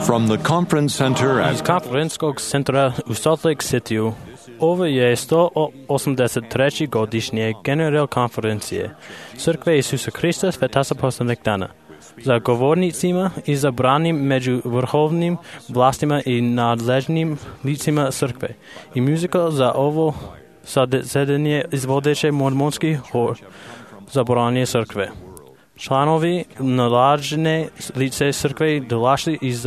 From the conference center Iz konferenčkog centra u Salt Lake City ovo je 183. godišnje general konferencije Crkve Isusa Krista Svetasa poslednjeg dana. Za govornicima i zabranim među vrhovnim vlastima i nadležnim licima crkve. I muzika za ovo zasedanje izvodeće mormonski hor zabranje crkve. Članovi nadležne lice crkve dolašli iz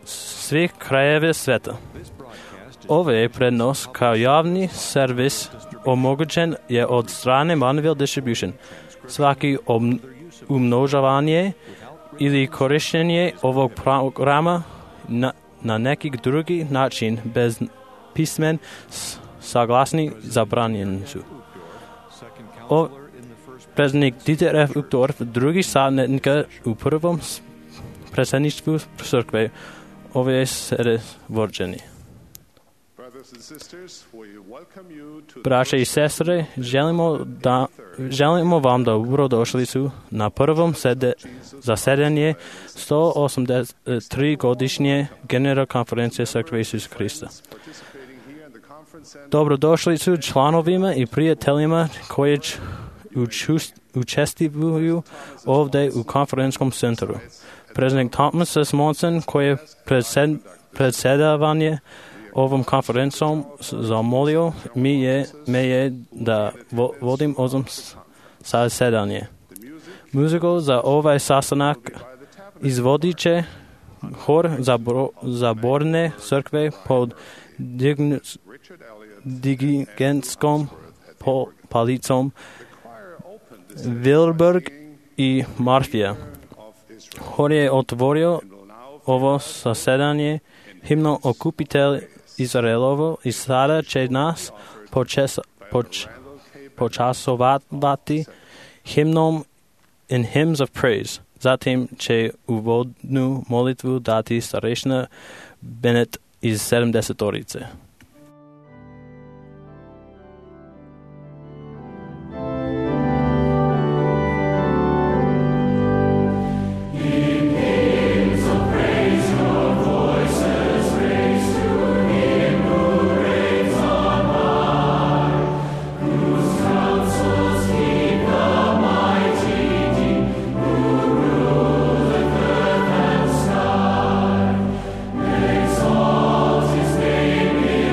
svih krajeva sveta. Ovaj prenos kao javni servis omogućen je od strane Manuel Distribution. Svaki umnožavanje ili korištenje ovog programa na neki drugi način bez pismen saglasni zabranjeni su. Predsjednik Dieter F. Uchtdorf, drugi savjetnika u prvom predsjedništvu crkve, ove sede vođeni. Braće i sestre, želimo vam dobrodošlicu na prvom zasedanje 183 godišnje general konferencije Crkve Isusa Krista. Dobrodošlicu članovima i prijateljima koji učestvuju ovdje u konferenčkom centru. Predsjednik Thomas S. Monson, koji je predsjedavanje ovom konferencom zamolio me je da vodim ovom zasedanje. Muziku za ovaj sastanak izvodit će hor zaborne crkve pod dirigentskom palicom Wilberg i Marfija. Hor je otvorio ovo zasedanje himno Okupitelj Izraelovo i sada će nas počasovati himnom In Hymns of Praise. Zatim će uvodnu molitvu dati starešina Bennett iz 70-orice. Exalt his name in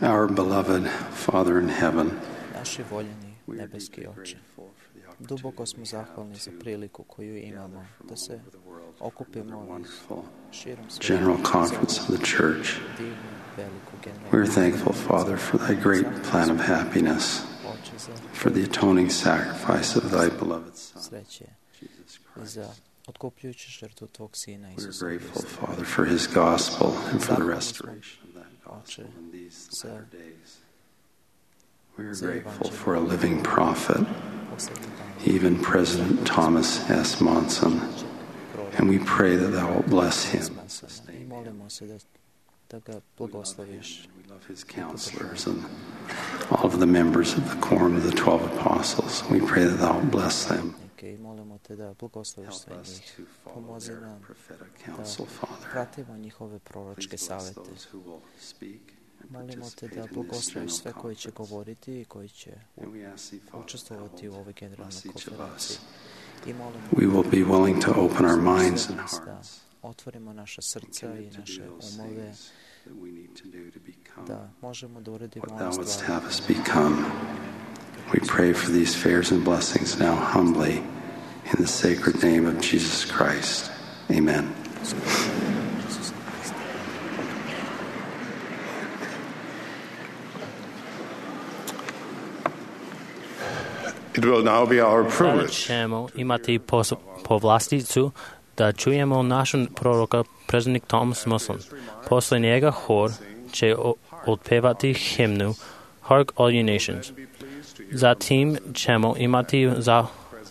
Our beloved Father in heaven, Naši voljeni nebeski Oče, duboko smo zahvalni za priliku koju imamo da se okupimo širom sveta General Conference of the Church. divnu, veliku We're generalnu thankful, Father, for thy great plan of happiness, Oče za for the atoning sacrifice of thy beloved Son, sreće Jesus i Christ. za otkupljujuću žrtvu tvog Sina We're Isusa grateful, Hrista. Father, for his gospel and for the restoration of that gospel in these latter days. We're grateful for a living prophet, Posljednjih dana even President Thomas S. Monson, and we pray that thou wilt bless him. spasena i molimo se da ga blagosloviš. We love his counselors and all of the members of the Quorum of the 12 Apostles. We pray that thou wilt bless them. I molimo te da blagosloviš Help sve us njih. to follow Pomozi their nam prophetic counsel, Father. pratimo njihove proročke Please bless savete. those who will speak and Molimo te participate da in this blagosloviš general sve koji će conference. govoriti i koji će And we ask thee, Father, thou učestvovati u ovoj wilt generalnoj bless each of konferenciji. us. I molimo We will be willing to open our minds and da hearts otvorimo naša and srca i commit to naše do those umove, things that we need to do to become da možemo da uradimo what one thou wouldst stvari. have us become. We pray for these favors and blessings now humbly in the sacred name of Jesus Christ. Amen. It will now be our Sada privilege ćemo imati povlasticu da čujemo našeg proroka, predsjednik Thomas Monson. Posle njega hor će otpevati himnu Hark All You Nations. Zatim ćemo imati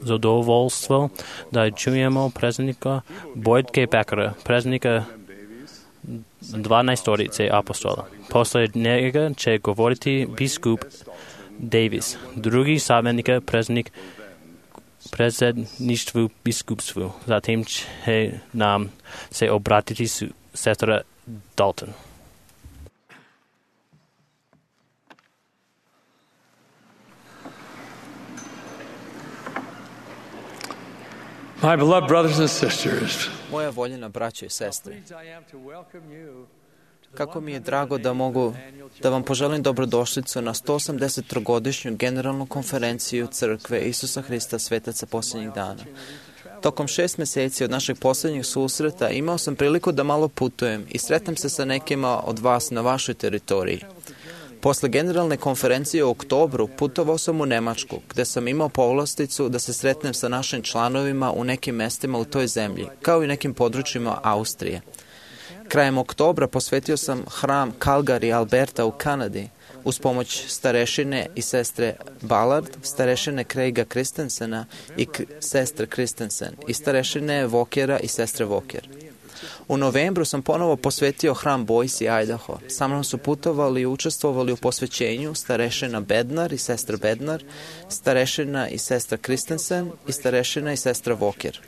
zadovoljstvo da čujemo predsjednika Boyd K. Beckera, predsjednika 12 apostola. Posle njega će govoriti biskup Davis, drugi savjetnik predsjedništvu biskupstvu. Zatim će nam se obratiti sestra Dalton. My beloved brothers and sisters, Moja voljena braćo i sestre, kako mi je drago da mogu da vam poželim dobrodošlicu na 180-godišnju generalnu konferenciju Crkve Isusa Hrista Svetaca posljednjih dana. Tokom 6 meseci od našeg posljednjeg susreta imao sam priliku da malo putujem i sretnem se sa nekima od vas na vašoj teritoriji. Posle generalne konferencije u oktobru putovao sam u Nemačku, gde sam imao povlasticu da se sretnem sa našim članovima u nekim mestima u toj zemlji, kao i nekim područjima Austrije. Krajem oktobra posvetio sam hram Calgary, Alberta u Kanadi, uz pomoć starešine i sestre Ballard, starešine Craiga Christensena i sestre Christensen i starešine Walkera i sestre Walker. U novembru sam ponovo posvetio hram Boise, Idaho. Sa mnom su putovali i učestvovali u posvećenju starešina Bednar i sestra Bednar, starešina i sestra Christensen i starešina i sestra Walker.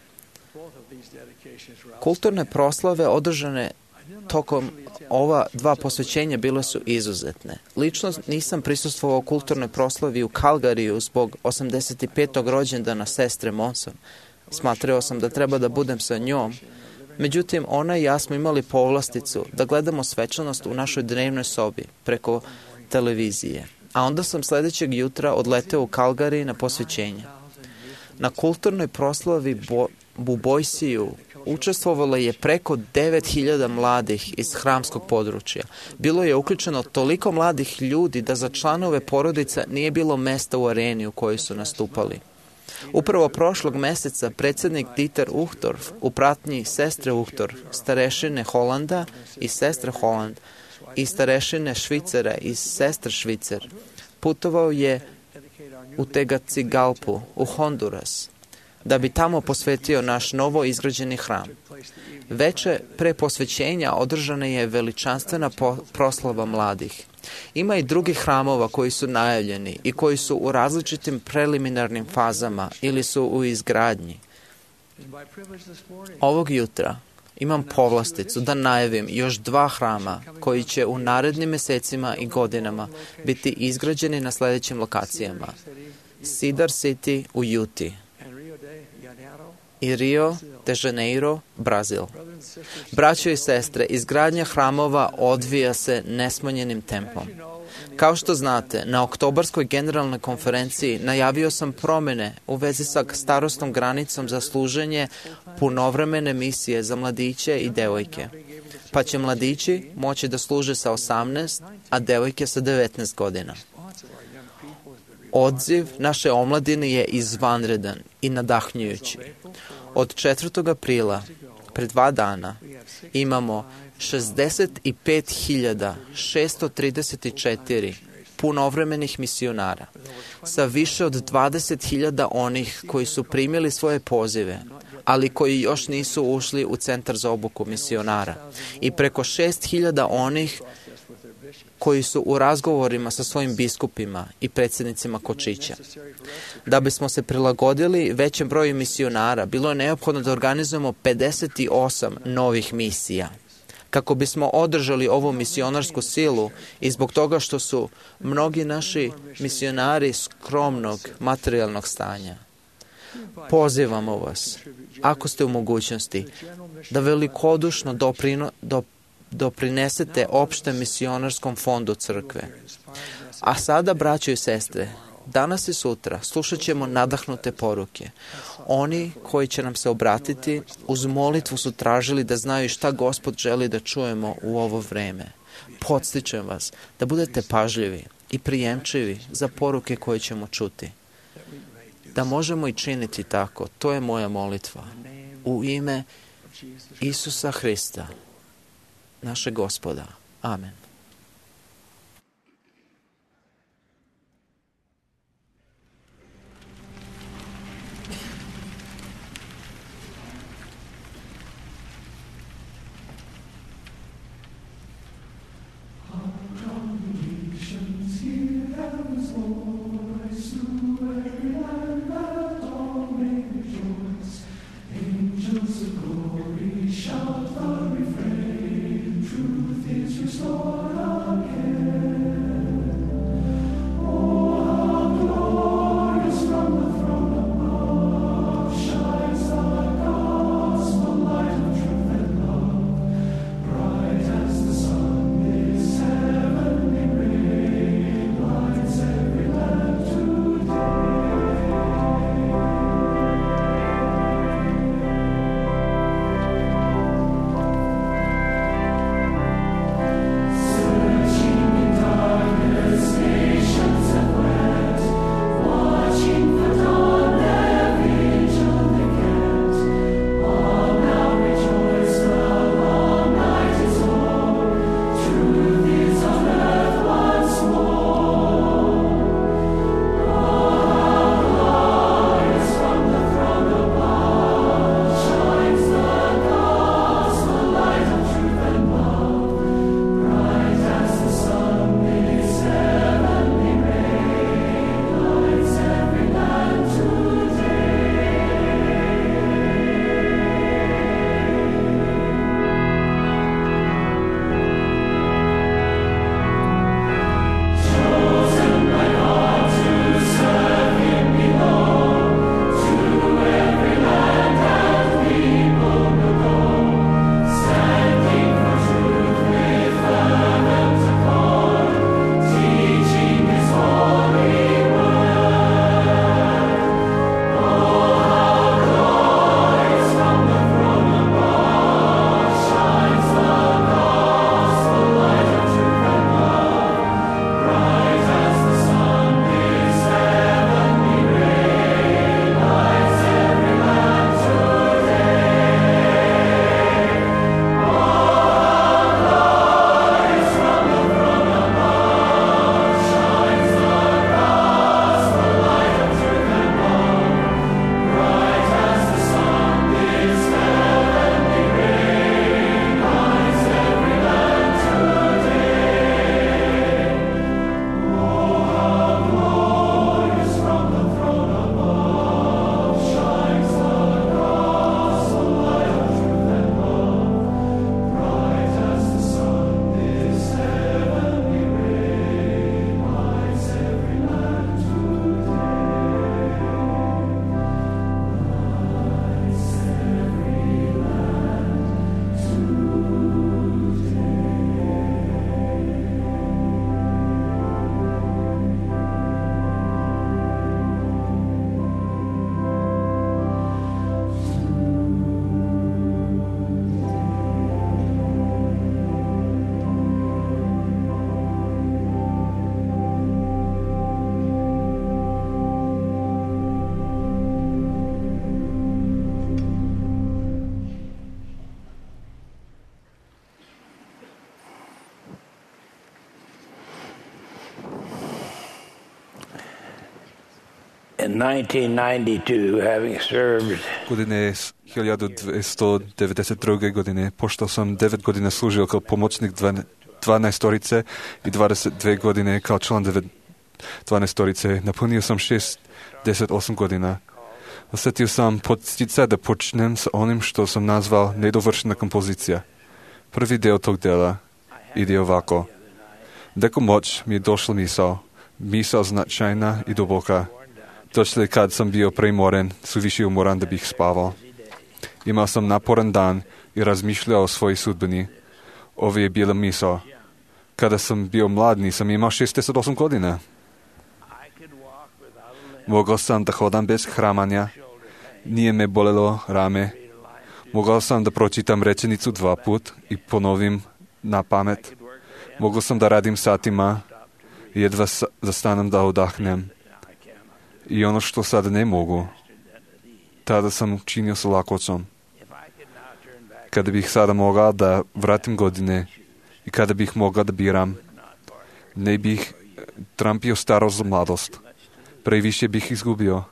Kulturne proslave održane tokom ova dva posvećenja bile su izuzetne. Lično nisam prisustvovao kulturnoj proslavi u Calgaryju zbog 85. rođendana sestre Monson. Smatrao sam da treba da budem sa njom. Međutim, ona i ja smo imali povlasticu da gledamo svečanost u našoj dnevnoj sobi preko televizije. A onda sam sledećeg jutra odleteo u Calgary na posvećenje. Na kulturnoj proslavi u Boisiju učestvovalo je preko 9000 mladih iz hramskog područja. Bilo je uključeno toliko mladih ljudi da za članove porodica nije bilo mesta u areni u kojoj su nastupali. Upravo prošlog meseca predsjednik Dieter Uchtdorf u pratnji sestre Uchtdorf, starešine Holanda i sestre Holland i starešine Švicera i sestre Švicer putovao je u Tegucigalpu, u Honduras, da bi tamo posvetio naš novo izgrađeni hram. Veče pre posvećenja održana je veličanstvena proslava mladih. Ima i drugih hramova koji su najavljeni i koji su u različitim preliminarnim fazama ili su u izgradnji. Ovog jutra imam povlasticu da najavim još 2 hrama koji će u narednim mesecima i godinama biti izgrađeni na sledećim lokacijama. Cedar City u Utah i Rio de Janeiro, Brazil. Braćo i sestre, izgradnja hramova odvija se nesmanjenim tempom. Kao što znate, na oktobarskoj generalnoj konferenciji najavio sam promjene u vezi sa starosnom granicom za služenje punovremene misije za mladiće i devojke. Pa će mladići moći da služe sa 18, a devojke sa 19 godina. Odziv naše omladine je izvanredan i nadahnjujući. Od 4. aprila, pred 2 dana, imamo 65.634 punovremenih misionara, sa više od 20.000 onih koji su primili svoje pozive, ali koji još nisu ušli u centar za obuku misionara, i preko 6.000 onih koji su u razgovorima sa svojim biskupima i predsjednicima kočića. Da bismo se prilagodili većem broju misionara, bilo je neophodno da organizujemo 58 novih misija. Kako bismo održali ovu misionarsku silu i zbog toga što su mnogi naši misionari skromnog materijalnog stanja, pozivamo vas, ako ste u mogućnosti, da velikodušno doprinesete opštem misionarskom fondu crkve. A sada, braćo i sestre, danas i sutra slušat ćemo nadahnute poruke. Oni koji će nam se obratiti uz molitvu su tražili da znaju šta Gospod želi da čujemo u ovo vreme. Podstičem vas da budete pažljivi i prijemčivi za poruke koje ćemo čuti. Da možemo i činiti tako, to je moja molitva. U ime Isusa Hrista, našeg Gospoda. Amen. Shout the refrain, truth is restored. In 1992, having served godine 1292. godine, pošto sam 9 godina služio kao pomoćnik 12-torice i 22 godine kao član 12-torice, napunio sam 68 godina. Osjetio sam podsjeća da počnem sa onim što sam nazval nedovršena kompozicija. Prvi deo tog dela ide ovako. Neko moć mi je došla misao značajna i duboka. Došli kad sam bio premoren, suviše umoran da bih spavao. Imao sam naporan dan i razmišljao o svojoj sudbini. Ovo je bila misao. Kada sam bio mlad, nisam imao 68 godina. Mogao sam da hodam bez hramanja. Nije me bolelo rame. Mogao sam da pročitam rečenicu 2 put i ponovim na pamet. Mogao sam da radim satima. Jedva zastanem da odahnem. I ono što sada ne mogu, tada sam činio sa lakoćom. Kada bih sada mogao da vratim godine i kada bih mogao da biram, ne bih trampio starost za mladost. Previše bih izgubio.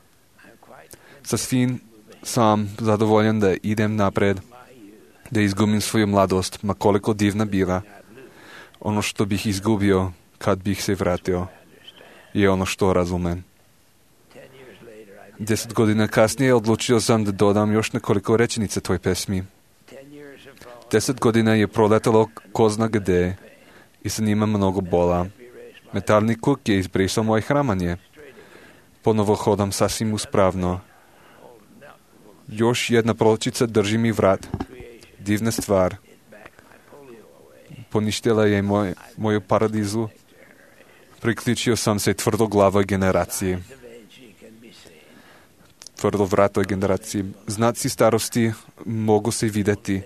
Sa svim sam zadovoljan da idem napred, da izgubim svoju mladost, ma koliko divna bila. Ono što bih izgubio kad bih se vratio je ono što razumem. 10 godina kasnije odlučio sam da dodam još nekoliko rečenica toj pesmi. 10 godina je proletalo ko zna gde i sa njima mnogo bola. Metalni kuk je izbrisao moje hramanje. Ponovo hodam sasvim uspravno. Još jedna pločica drži mi vrat. Divna stvar. Poništila je moju paradizu. Priključio sam se tvrdoglavoj generaciji. Tvrdovratoj generaciji. Znaci starosti mogu se vidjeti.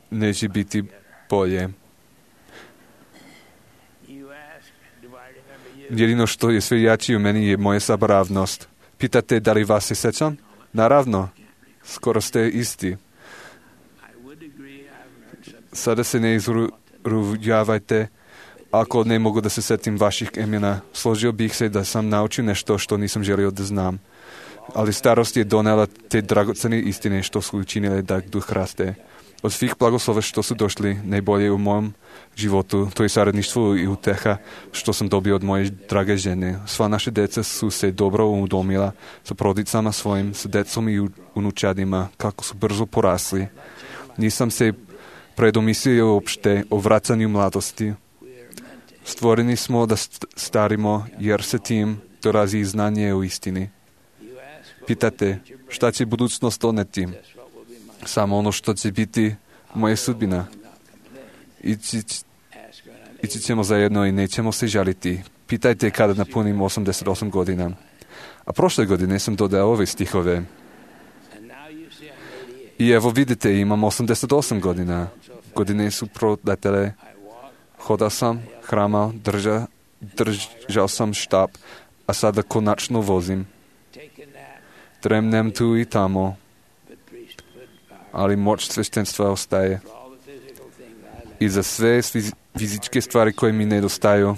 Neće biti bolje. Jedino što je sve jači u meni je moja zaboravnost. Pitate da li vas se sećam? Naravno. Skoro ste isti. Sada se ne izrujavajte. Ako ne mogu da se setim vaših imena, složio bih se da sam naučio nešto što nisam želio da znam. Ali starost je donela te dragocene istine što su učinile da duh raste. Od svih blagoslova što su došli, najbolje u mom životu, to je saradništvo i uteha što sam dobio od moje drage žene. Sva naše deca su se dobro udomila sa porodicama svojim, sa decom i unučadima, kako su brzo porasli. Nisam se predomislio uopšte o vracanju mladosti. Stvoreni smo da starimo, jer se tim dolazi znanje o istini. Pitate, šta će budućnost doneti? Samo ono što će biti moja sudbina. Ići ćemo zajedno i nećemo se žaliti. Pitajte kada napunim 88 godina. A prošle godine sam dodao ove stihove. I evo vidite, imam 88 godina. Godine su proletele. Hodao sam, hramal, držao sam štap, a sada konačno vozim. Tremnem tu i tamo, ali moć sveštenstva ostaje. I za sve fizičke stvari koje mi nedostaju,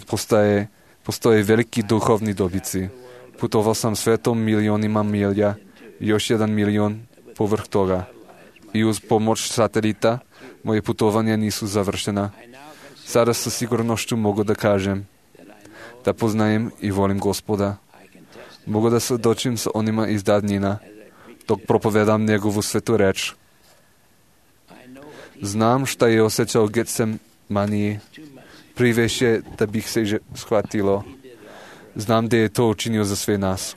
postoje veliki duhovni dobici. Putovao sam svetom milionima milja, još 1 milion povrh toga. I uz pomoć satelita, moje putovanja nisu završena. Sada sa sigurnošću mogu da kažem da poznajem i volim Gospoda. Mogu da se dočim sa onima iz davnina, dok propovedam njegovu svetu reč. Znam šta je osjećao Getsemaniji, priveše da bih se shvatilo. Znam da je to učinio za sve nas.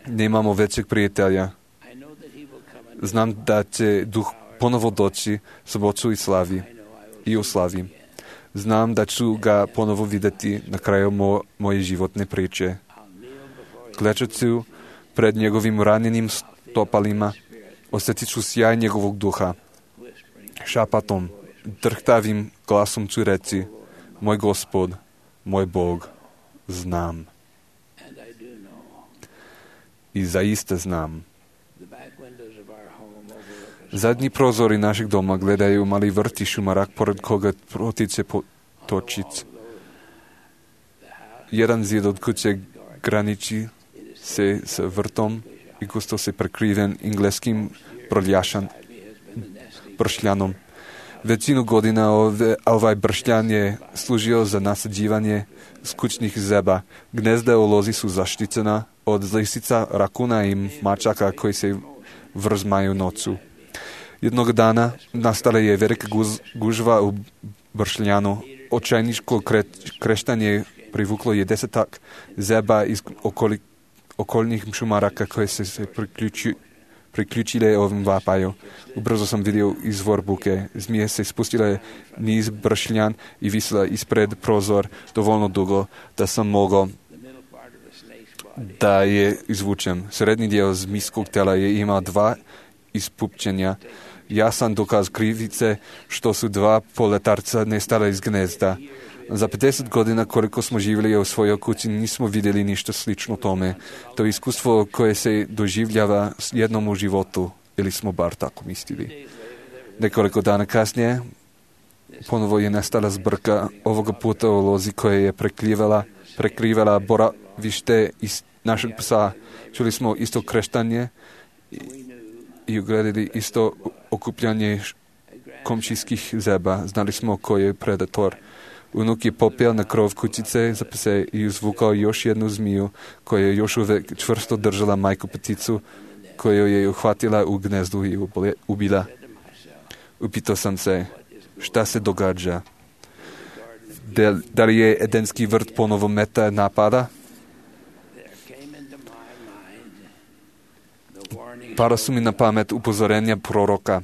Nemamo većeg prijatelja. Znam da će duh ponovo doći sa moću i slavi i u slavi. Znam da ću ga ponovo vidjeti na kraju moje životne priče. Klečat ću pred njegovim ranjenim stopalima, osjetit ću sjaj njegovog duha. Šapatom, drhtavim glasom ću reći, moj Gospod, moj Bog, znam. I zaista znam. Zadnji prozori našeg doma gledaju mali vrt i šumarak pored koga protiče potočić. Jedan zid od kuće graniči se s vrtom i gusto se prekriven engleskim bršljanom. Većinu godina ovaj bršljan je služio za nasađivanje skučnih zeba. Gnezda u lozi su zaštićena od lisica, rakuna i mačaka koji se vrzmaju noću. Jednog dana nastala je velika gužva u bršljanu. Očajničko kreštanje privuklo je 10 zeba iz okolnih šumaraka koje se priključile ovim vapaju. Ubrzo sam vidio izvor buke. Zmije se spustila niz bršljan i visila ispred prozor dovoljno dugo da sam mogao da je izvučem. Srednji dio zmijskog tela je imao 2 ispupčenja. Jasan dokaz krivice što su 2 poletarca nestala iz gnezda. Za 50 godina koliko smo živjeli u svojoj kući nismo vidjeli ništa slično tome. To je iskustvo koje se doživljava jednom u životu, ili smo bar tako mislili. Nekoliko dana kasnije ponovo je nastala zbrka, ovoga puta u lozi koja je prekrivala boravište iz našeg psa. Čuli smo isto kreštanje i ugledali isto okupljanje komšijskih zeba. Znali smo ko je predator. Unuk je popeo na krov kućice za pse i izvukao još jednu zmiju koja je još uvek čvrsto držala majku pticu koju je uhvatila u gnezdu i ubila. Upitao sam se, šta se događa? Da li je Edenski vrt ponovo meta napada? Para su mi na pamet upozorenja proroka.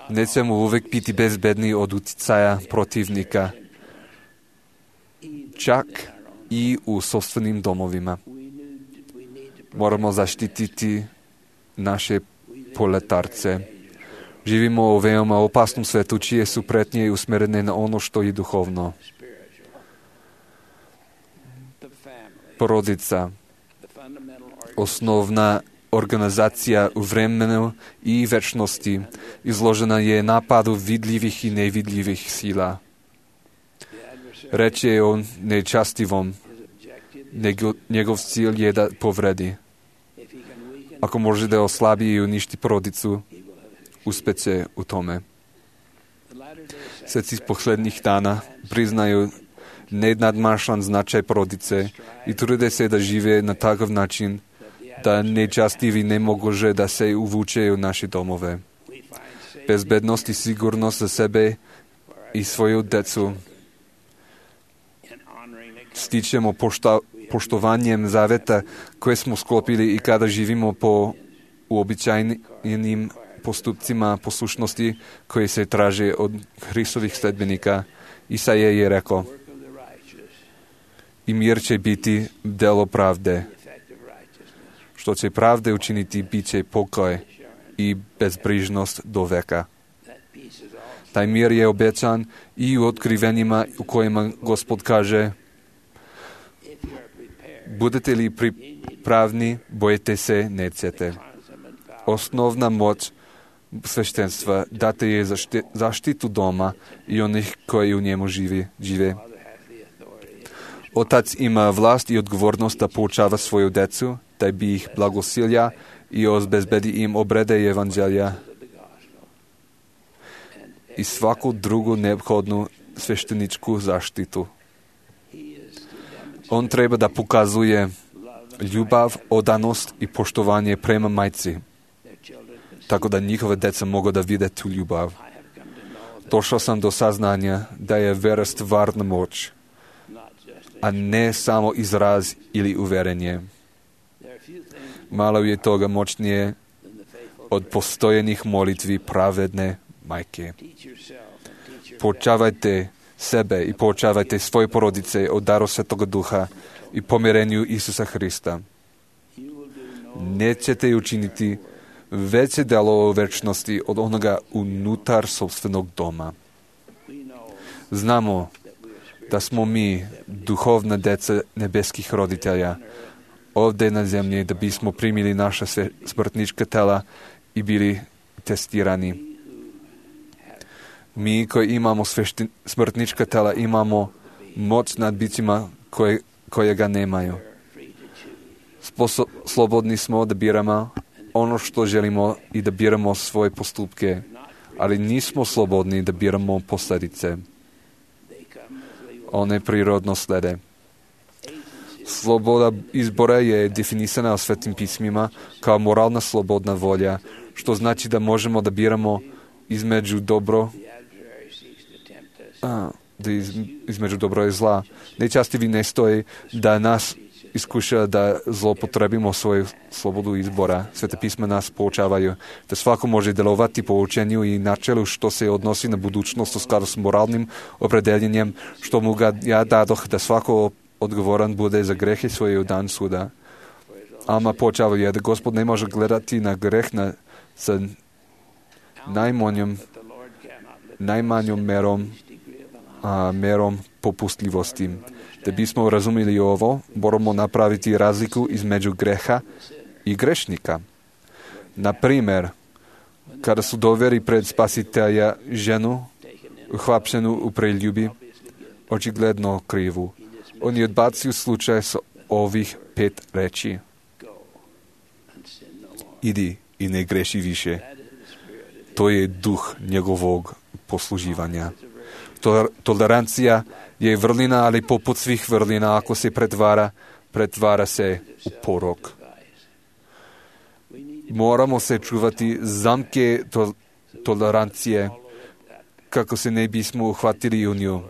Nećemo uvek biti bezbedni od uticaja protivnika, čak i u sopstvenim domovima. Moramo zaštititi naše poletarce. Živimo u veoma opasnom svetu, čije su pretnje usmerene na ono što je duhovno. Porodica, osnovna organizacija u vremenu i večnosti, izložena je napadu vidljivih i nevidljivih sila. Reč je o nečastivom. Njegov cilj je da povredi. Ako može da oslabi i uništi porodicu, uspeće u tome. Sveci poslednjih dana priznaju nenadmašan značaj porodice i trude se da žive na takav način da nečastivi ne može da se uvuče u naše domove. Bezbednost i sigurnost za sebe i svoju decu stičemo poštovanjem zaveta koje smo sklopili i kada živimo po uobičajenim postupcima poslušnosti koje se traže od Hristovih sledbenika. Isaija je rekao, i mir će biti delo pravde. Što će pravde učiniti, bit će pokoj i bezbrižnost do veka. Taj mir je obećan i u otkrivenjima u kojima Gospod kaže, budete li pripravni, bojite se, nećete. Osnovna moć sveštenstva date je zaštitu doma i onih koji u njemu žive. Otac ima vlast i odgovornost da poučava svoju decu, da bi ih blagosilja i obezbedi im obrede evanđelja i svaku drugu neophodnu svešteničku zaštitu. On treba da pokazuje ljubav, odanost i poštovanje prema majci, tako da njihove deca mogu da vide tu ljubav. Došao sam do saznanja da je vera stvarna moć, a ne samo izraz ili uverenje. Malo je toga moćnije od postojenih molitvi pravedne majke. Poučavajte sebe i poučavajte svoje porodice o daru Svetoga Duha i pomirenju Isusa Hrista. Nećete učiniti veće delo u večnosti od onoga unutar sopstvenog doma. Znamo da smo mi duhovna deca nebeskih roditelja ovdje na zemlji da bismo primili naša smrtnička tela i bili testirani. Mi koji imamo smrtnička tela imamo moć nad bićima koje ga nemaju. Slobodni smo da biramo ono što želimo i da biramo svoje postupke, ali nismo slobodni da biramo posljedice. One prirodno slede. Sloboda izbora je definisana u Svetim pismima kao moralna slobodna volja, što znači da možemo da biramo između dobro i zla. Najčastije ne stoji da nas iskuša da zlopotrebimo svoju slobodu izbora. Sveta pisma nas poučavaju da svako može delovati po učenju i načelu što se odnosi na budućnost u skladu s moralnim opredeljenjem, što mu ga ja dadoh da svako odgovoran bude za grehe svoje u dan suda. Alma poučavaju da Gospod ne može gledati na greh sa najmanjom merom popustljivosti. Da bismo razumjeli ovo, moramo napraviti razliku između greha i grešnika. Na primjer, kada su doveli pred Spasitelja ženu, uhapšenu u preljubi, očigledno krivu, on je odbacio slučaj s ovih 5 reči. Idi i ne greši više. To je duh njegovog posluživanja. Tolerancija je vrlina, ali poput svih vrlina, ako se pretvara se u porok. Moramo se čuvati zamke tolerancije, kako se ne bismo uhvatili u nju.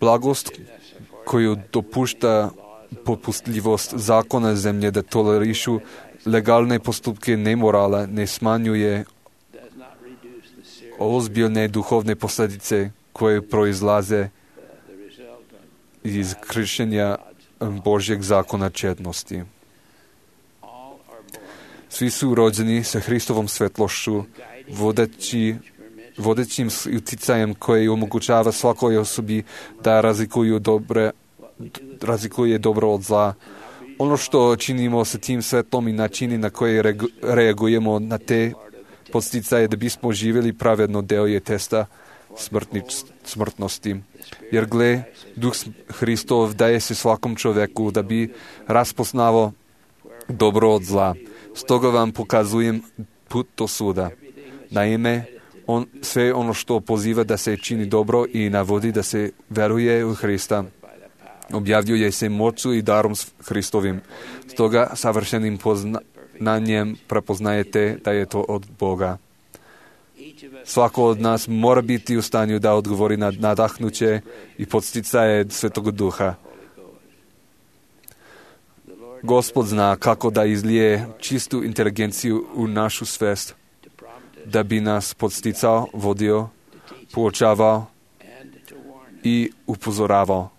Blagost koju dopušta popustljivost zakona zemlje da tolerišu legalne postupke nemorala ne smanjuje ozbiljne duhovne posljedice koje proizlaze iz kršenja Božjeg zakona čednosti. Svi su rođeni sa Hristovom svetlošću, vodećim uticajem koji omogućava svakoj osobi da razlikuje dobro od zla. Ono što činimo sa tim svetlom i načini na koje reagujemo na te podsticaje da bismo živjeli pravedno deo je testa smrtnosti. Jer gle, Duh Hristov daje se svakom čovjeku da bi raspoznao dobro od zla. Stoga vam pokazujem put do suda. Naime, sve ono što poziva da se čini dobro i navodi da se veruje u Hrista, objavljuje se moću i darom Hristovim. Stoga savršenim poznanjem prepoznajete da je to od Boga. Svako od nas mora biti u stanju da odgovori na nadahnuće i podsticaje Svetog Duha. Gospod zna kako da izlije čistu inteligenciju u našu svest, da bi nas podsticao, vodio, poučavao i upozoravao.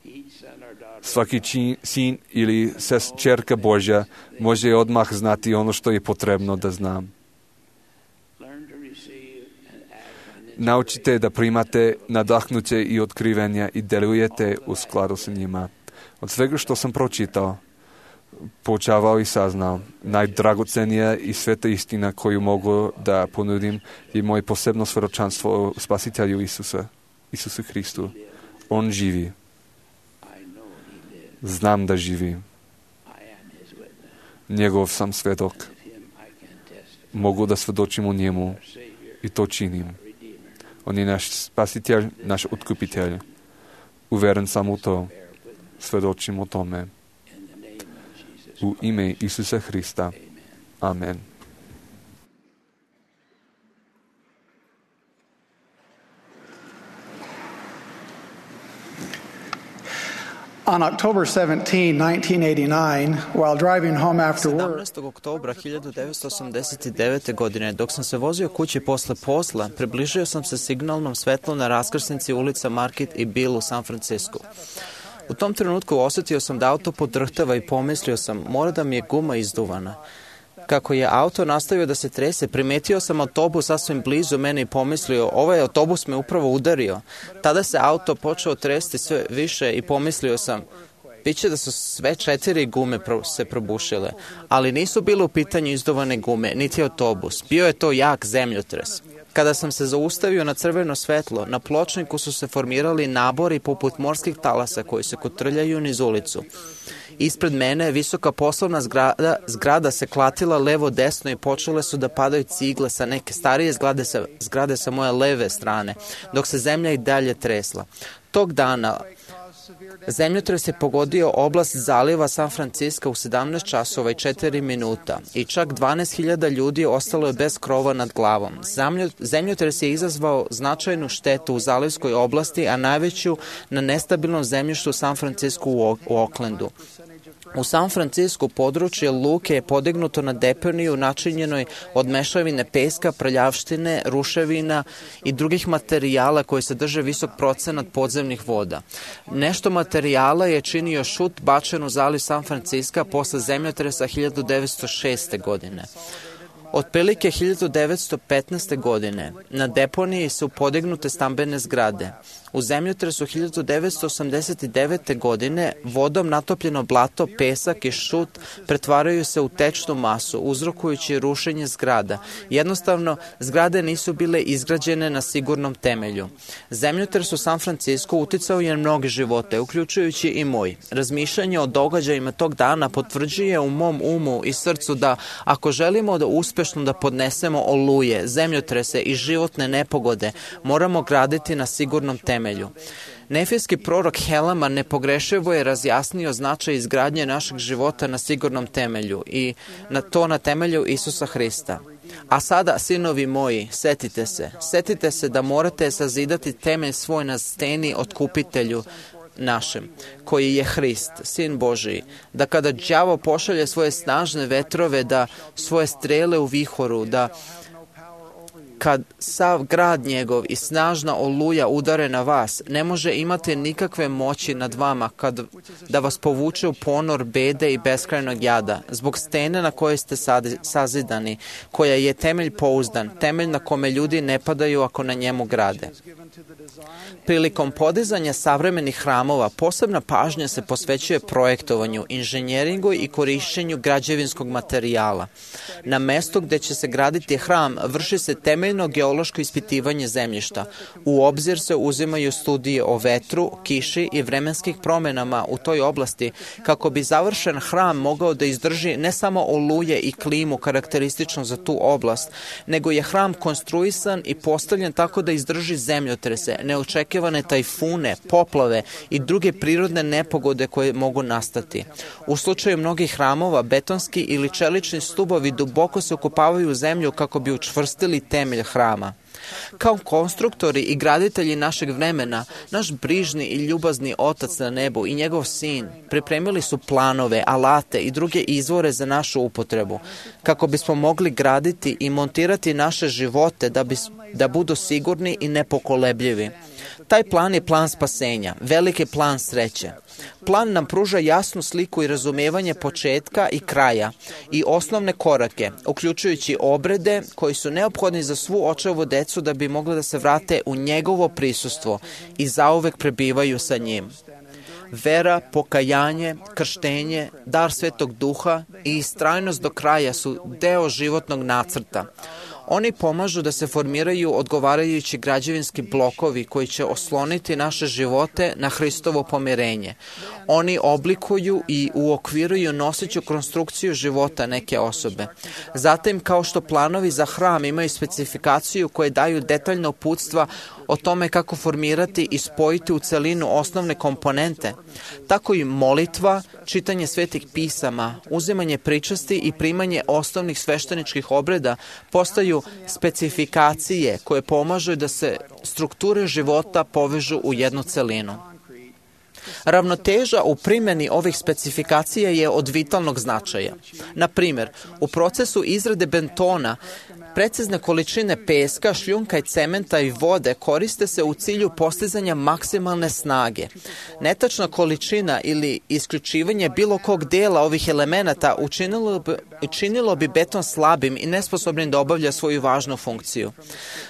Svaki sin ili ćerka Božja može odmah znati ono što je potrebno da zna. Naučite da primate nadahnuće i otkrivenja i delujete u skladu s njima. Od svega što sam pročitao, poučavao i saznao, najdragocenija i sveta istina koju mogu da ponudim je moje posebno svjedočanstvo o Spasitelju Isusu Hristu. On živi. Znam da živi. Njegov sam svjedok. Mogu da svjedočim o njemu i to činim. On je naš Spasitelj, naš otkupitelj. Uveren sam u to. Svjedočim o tome. U ime Isusa Hrista. Amen. On October 17, 1989, while driving home after work, 17. oktobra 1989. godine, dok sam se vozio kući posle posla, približio sam se signalnom svetlom na raskrsnici ulica Market i Bill u San Francisku. U tom trenutku osjetio sam da auto podrhtava i pomislio sam, mora da mi je guma izduvana. Kako je auto nastavio da se trese, primetio sam autobus sasvim blizu mene i pomislio, ovaj autobus me upravo udario. Tada se auto počeo tresti sve više i pomislio sam, biće da su sve 4 gume se probušile, ali nisu bile u pitanju izduvane gume, niti autobus. Bio je to jak zemljotres. Kada sam se zaustavio na crveno svetlo, na pločniku su se formirali nabori poput morskih talasa koji se kotrljaju niz ulicu. Ispred mene visoka poslovna zgrada se klatila levo desno i počele su da padaju cigle sa neke starije zgrade sa moje leve strane, dok se zemlja i dalje tresla. Tog dana zemljotres je pogodio oblast zaliva San Francisco u 17 časova i 4 minuta i čak 12.000 ljudi ostalo je bez krova nad glavom. Zemljotres je izazvao značajnu štetu u zalivskoj oblasti, a najveću na nestabilnom zemljištu San Francisco u Oaklandu. U San Francisco područje luke je podignuto na deponiju načinjenoj od mešavine peska, prljavštine, ruševina i drugih materijala koji sadrže visok procenat podzemnih voda. Nešto materijala je činio šut bačen u zaliv San Francisco posle zemljotresa 1906. godine. Otprilike 1915. godine na deponiji su podignute stambene zgrade. U zemljotresu 1989. godine vodom natopljeno blato, pesak i šut pretvaraju se u tečnu masu, uzrokujući rušenje zgrada. Jednostavno, zgrade nisu bile izgrađene na sigurnom temelju. Zemljotres u San Francisco uticao je na mnoge živote, uključujući i moj. Razmišljanje o događajima tog dana potvrđuje u mom umu i srcu da ako želimo da uspešno da podnesemo oluje, zemljotrese i životne nepogode, moramo graditi na sigurnom temelju. Nefijski prorok Helama nepogrešivo je razjasnio značaj izgradnje našeg života na sigurnom temelju i na temelju Isusa Hrista. A sada, sinovi moji, setite se da morate sazidati temelj svoj na steni otkupitelju našem, koji je Hrist, Sin Božiji, da kada đavo pošalje svoje snažne vetrove, da svoje strele u vihoru, da kad sav grad njegov i snažna oluja udare na vas, ne može imati nikakve moći nad vama da vas povuče u ponor bede i beskrajnog jada, zbog stene na kojoj ste sazidani, koja je temelj pouzdan, temelj na kome ljudi ne padaju ako na njemu grade. Prilikom podizanja savremenih hramova posebna pažnja se posvećuje projektovanju, inženjeringu i korišćenju građevinskog materijala. Na mestu gde će se graditi hram vrši se temeljno geološko ispitivanje zemljišta. U obzir se uzimaju studije o vetru, kiši i vremenskih promenama u toj oblasti kako bi završen hram mogao da izdrži ne samo oluje i klimu karakteristično za tu oblast, nego je hram konstruisan i postavljen tako da izdrži zemljotrese, neočekivane tajfune, poplave i druge prirodne nepogode koje mogu nastati. U slučaju mnogih hramova, betonski ili čelični stubovi duboko se ukopavaju u zemlju kako bi učvrstili temelj hrama. Kao konstruktori i graditelji našeg vremena, naš brižni i ljubazni Otac na nebu i njegov Sin pripremili su planove, alate i druge izvore za našu upotrebu, kako bismo mogli graditi i montirati naše živote da budu sigurni i nepokolebljivi. Taj plan je plan spasenja, veliki plan sreće. Plan nam pruža jasnu sliku i razumevanje početka i kraja i osnovne korake, uključujući obrede koji su neophodni za svu očevu decu da bi mogli da se vrate u njegovo prisustvo i zauvek prebivaju sa njim. Vera, pokajanje, krštenje, dar Svetog Duha i istrajnost do kraja su deo životnog nacrta. Oni pomažu da se formiraju odgovarajući građevinski blokovi koji će osloniti naše živote na Hristovo pomirenje. Oni oblikuju i uokviruju noseću konstrukciju života neke osobe. Zatim, kao što planovi za hram imaju specifikaciju koje daju detaljna uputstva o tome kako formirati i spojiti u celinu osnovne komponente, tako i molitva, čitanje svetih pisama, uzimanje pričasti i primanje osnovnih svešteničkih obreda postaju specifikacije koje pomažu da se strukture života povežu u jednu celinu. Ravnoteža u primjeni ovih specifikacija je od vitalnog značaja. Na primjer, u procesu izrade betona precizne količine peska, šljunka i cementa i vode koriste se u cilju postizanja maksimalne snage. Netačna količina ili isključivanje bilo kog dela ovih elemenata učinilo bi beton slabim i nesposobnim da obavlja svoju važnu funkciju.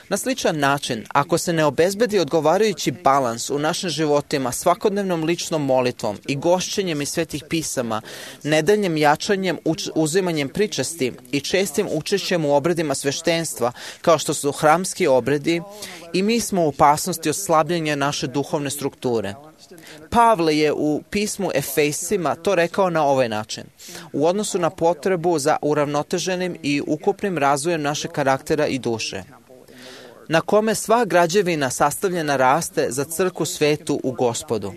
Na sličan način, ako se ne obezbedi odgovarajući balans u našim životima svakodnevnom ličnom molitvom i gošćenjem iz svetih pisama, nedeljnim jačanjem, uzimanjem pričasti i čestim učešćem u obredima sveštenstva, kao što su hramski obredi, i mi smo u opasnosti od slabljenja naše duhovne strukture. Pavle je u pismu Efesima to rekao na ovaj način. U odnosu na potrebu za uravnoteženim i ukupnim razvojem našeg karaktera i duše, na kome sva građevina sastavljena raste za crkvu svetu u Gospodu.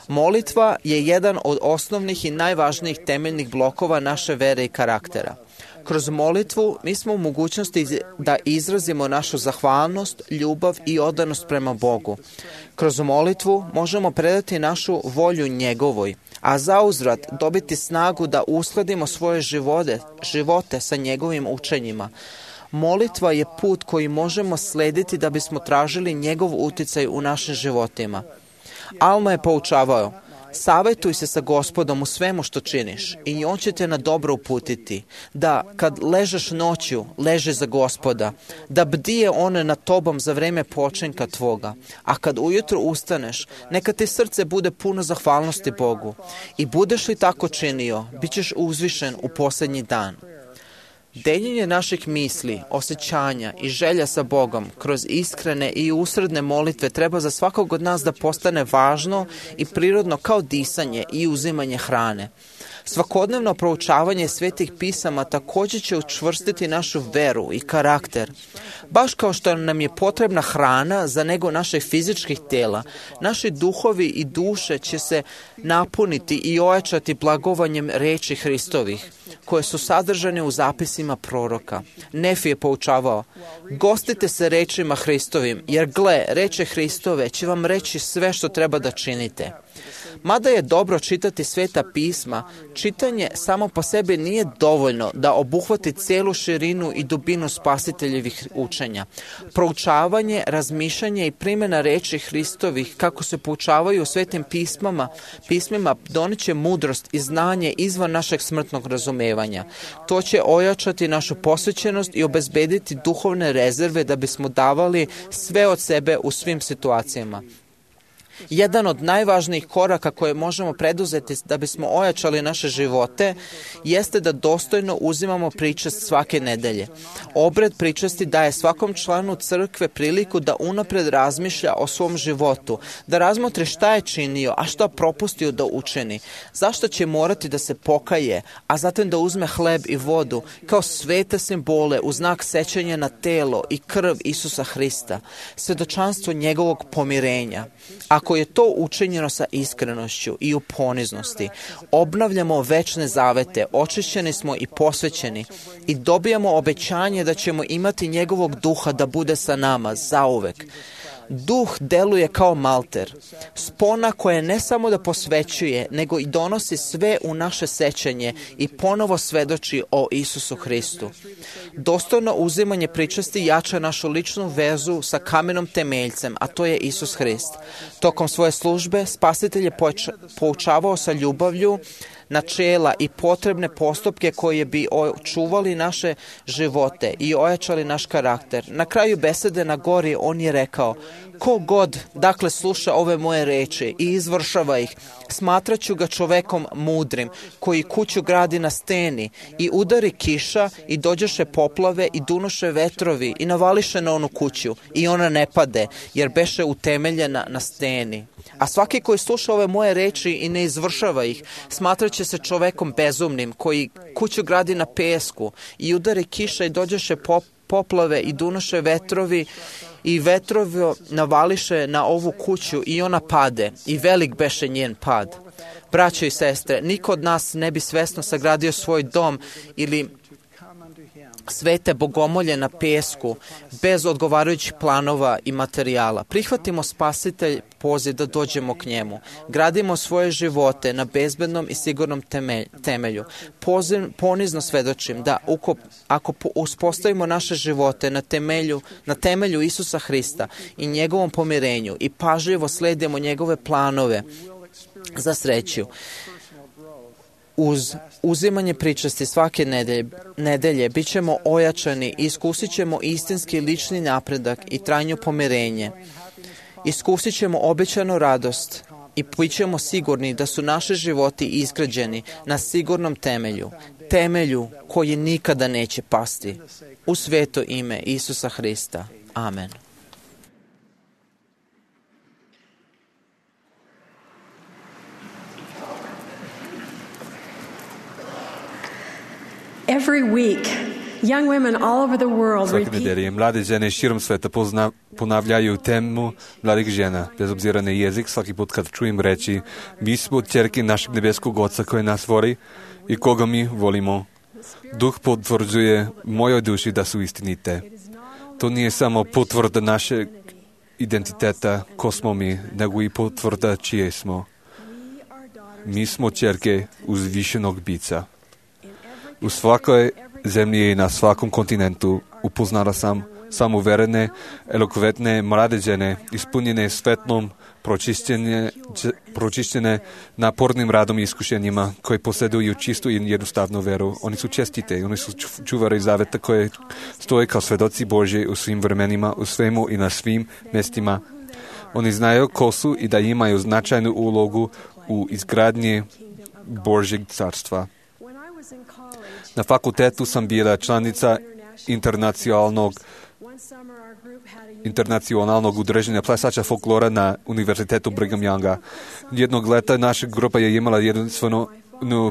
Molitva je jedan od osnovnih i najvažnijih temeljnih blokova naše vere i karaktera. Kroz molitvu mi smo u mogućnosti da izrazimo našu zahvalnost, ljubav i odanost prema Bogu. Kroz molitvu možemo predati našu volju njegovoj, a zauzvrat dobiti snagu da uskladimo svoje živote sa njegovim učenjima. Molitva je put koji možemo slediti da bismo tražili njegov uticaj u našim životima. Alma je poučavao: savjetuj se sa Gospodom u svemu što činiš i on će te na dobro uputiti. Da kad ležeš noću, leži za Gospoda. Da bdije on nad tobom za vreme počinka tvoga. A kad ujutro ustaneš, neka ti srce bude puno zahvalnosti Bogu. I budeš li tako činio, bit ćeš uzvišen u posljednji dan. Deljenje naših misli, osjećanja i želja sa Bogom kroz iskrene i usredne molitve treba za svakog od nas da postane važno i prirodno kao disanje i uzimanje hrane. Svakodnevno proučavanje svetih pisama također će učvrstiti našu veru i karakter. Baš kao što nam je potrebna hrana za nego naših fizičkih tela, naši duhovi i duše će se napuniti i ojačati blagovanjem reči Hristovih, koje su sadržane u zapisima proroka. Nefi je poučavao: gostite se rečima Hristovim, jer gle, reče Hristove će vam reći sve što treba da činite. Mada je dobro čitati sveta pisma, čitanje samo po sebi nije dovoljno da obuhvati cijelu širinu i dubinu spasiteljevih učenja. Proučavanje, razmišljanje i primjena reči Hristovih, kako se poučavaju u svetim pismima, doniće mudrost i znanje izvan našeg smrtnog razumevanja. To će ojačati našu posvećenost i obezbediti duhovne rezerve da bismo davali sve od sebe u svim situacijama. Jedan od najvažnijih koraka koje možemo preduzeti da bismo ojačali naše živote jeste da dostojno uzimamo pričast svake nedelje. Obred pričasti daje svakom članu crkve priliku da unapred razmišlja o svom životu, da razmotri šta je činio, a šta propustio da učini, zašto će morati da se pokaje, a zatim da uzme hleb i vodu kao svete simbole u znak sećanja na telo i krv Isusa Hrista, svedočanstvo njegovog pomirenja. Ako je to učinjeno sa iskrenošću i u poniznosti, obnavljamo večne zavete, očišćeni smo i posvećeni i dobijamo obećanje da ćemo imati njegovog duha da bude sa nama zauvek. Duh deluje kao malter, spona koja ne samo da posvećuje, nego i donosi sve u naše sećanje i ponovo svedoči o Isusu Hristu. Dostojno uzimanje pričasti jača našu ličnu vezu sa kamenom temeljcem, a to je Isus Hrist. Tokom svoje službe spasitelj je poučavao sa ljubavlju načela i potrebne postupke koje bi očuvali naše živote i ojačali naš karakter. Na kraju besede na gori on je rekao: ko god, dakle, sluša ove moje reči i izvršava ih, smatraću ga čovekom mudrim, koji kuću gradi na steni i udari kiša i dođeše poplave i dunoše vetrovi i navališe na onu kuću i ona ne pade, jer beše utemeljena na steni. A svaki koji sluša ove moje reči i ne izvršava ih, smatraće se čovekom bezumnim, koji kuću gradi na pesku i udari kiša i dođeše poplave i dunoše vetrovi i vetrovi navališe na ovu kuću i ona pade i velik beše njen pad. Braćo i sestre, niko od nas ne bi svesno sagradio svoj dom ili svete bogomolje na pesku bez odgovarajućih planova i materijala. Prihvatimo spasitelj poziv da dođemo k njemu. Gradimo svoje živote na bezbednom i sigurnom temelju. Ponizno svedočim da ako uspostavimo naše živote na temelju Isusa Hrista i njegovom pomirenju i pažljivo sledimo njegove planove za sreću, uz uzimanje pričasti svake nedelje bit ćemo ojačani i iskusit ćemo istinski lični napredak i trajno pomirenje. Iskusit ćemo obećanu radost i bit ćemo sigurni da su naši životi izgrađeni na sigurnom temelju koji nikada neće pasti. U sveto ime Isusa Hrista. Amen. Every week, young women all over the world Svake repeat nedelje mlade žene širom sveta ponavljaju temu mladih žena, bez obzira na jezik. Svaki put kad čujem reći, mi smo ćerke našeg nebeskog Oca koji nas voli i koga mi volimo. Duh potvrđuje mojoj duši da su istinite. To nije samo potvrda našeg identiteta, ko smo mi, nego i potvrda čije smo. Mi smo ćerke uzvišenog bića. U svakoj zemlji i na svakom kontinentu upoznala sam samouverene, elokventne mlade žene, ispunjene svetlom, pročišćene napornim radom i iskušenjima, koji posjeduju čistu i jednostavnu veru. Oni su čestite, oni su čuvari zaveta koje stoje kao svedoci Božji u svim vremenima, u svemu i na svim mjestima. Oni znaju ko su i da imaju značajnu ulogu u izgradnji Božjeg carstva. Na fakultetu sam bila članica internacionalnog udruženja plesača folklora na Univerzitetu Brigham Younga. Jednog leta naša grupa je imala jedinstvenu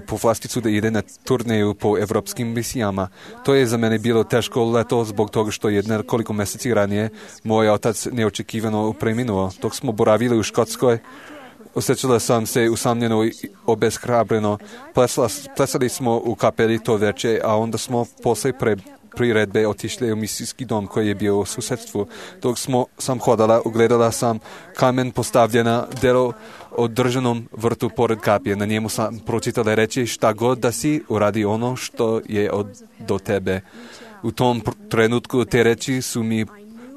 povlasticu da ide na turneju po evropskim misijama. To je za mene bilo teško leto zbog toga što je nekoliko mjeseci ranije moj otac neočekivano preminuo. Dok smo boravili u Škotskoj, osjećala sam se usamljeno i obeshrabreno. Plesali smo u kapeli to večer, a onda smo posle priredbe otišli u misijski dom koji je bio u susjedstvu. Dok sam hodala, ugledala sam kamen postavljena delo održanom vrtu pored kapije. Na njemu sam pročitala reći šta god da si, uradi ono što je do tebe. U tom trenutku te reči su mi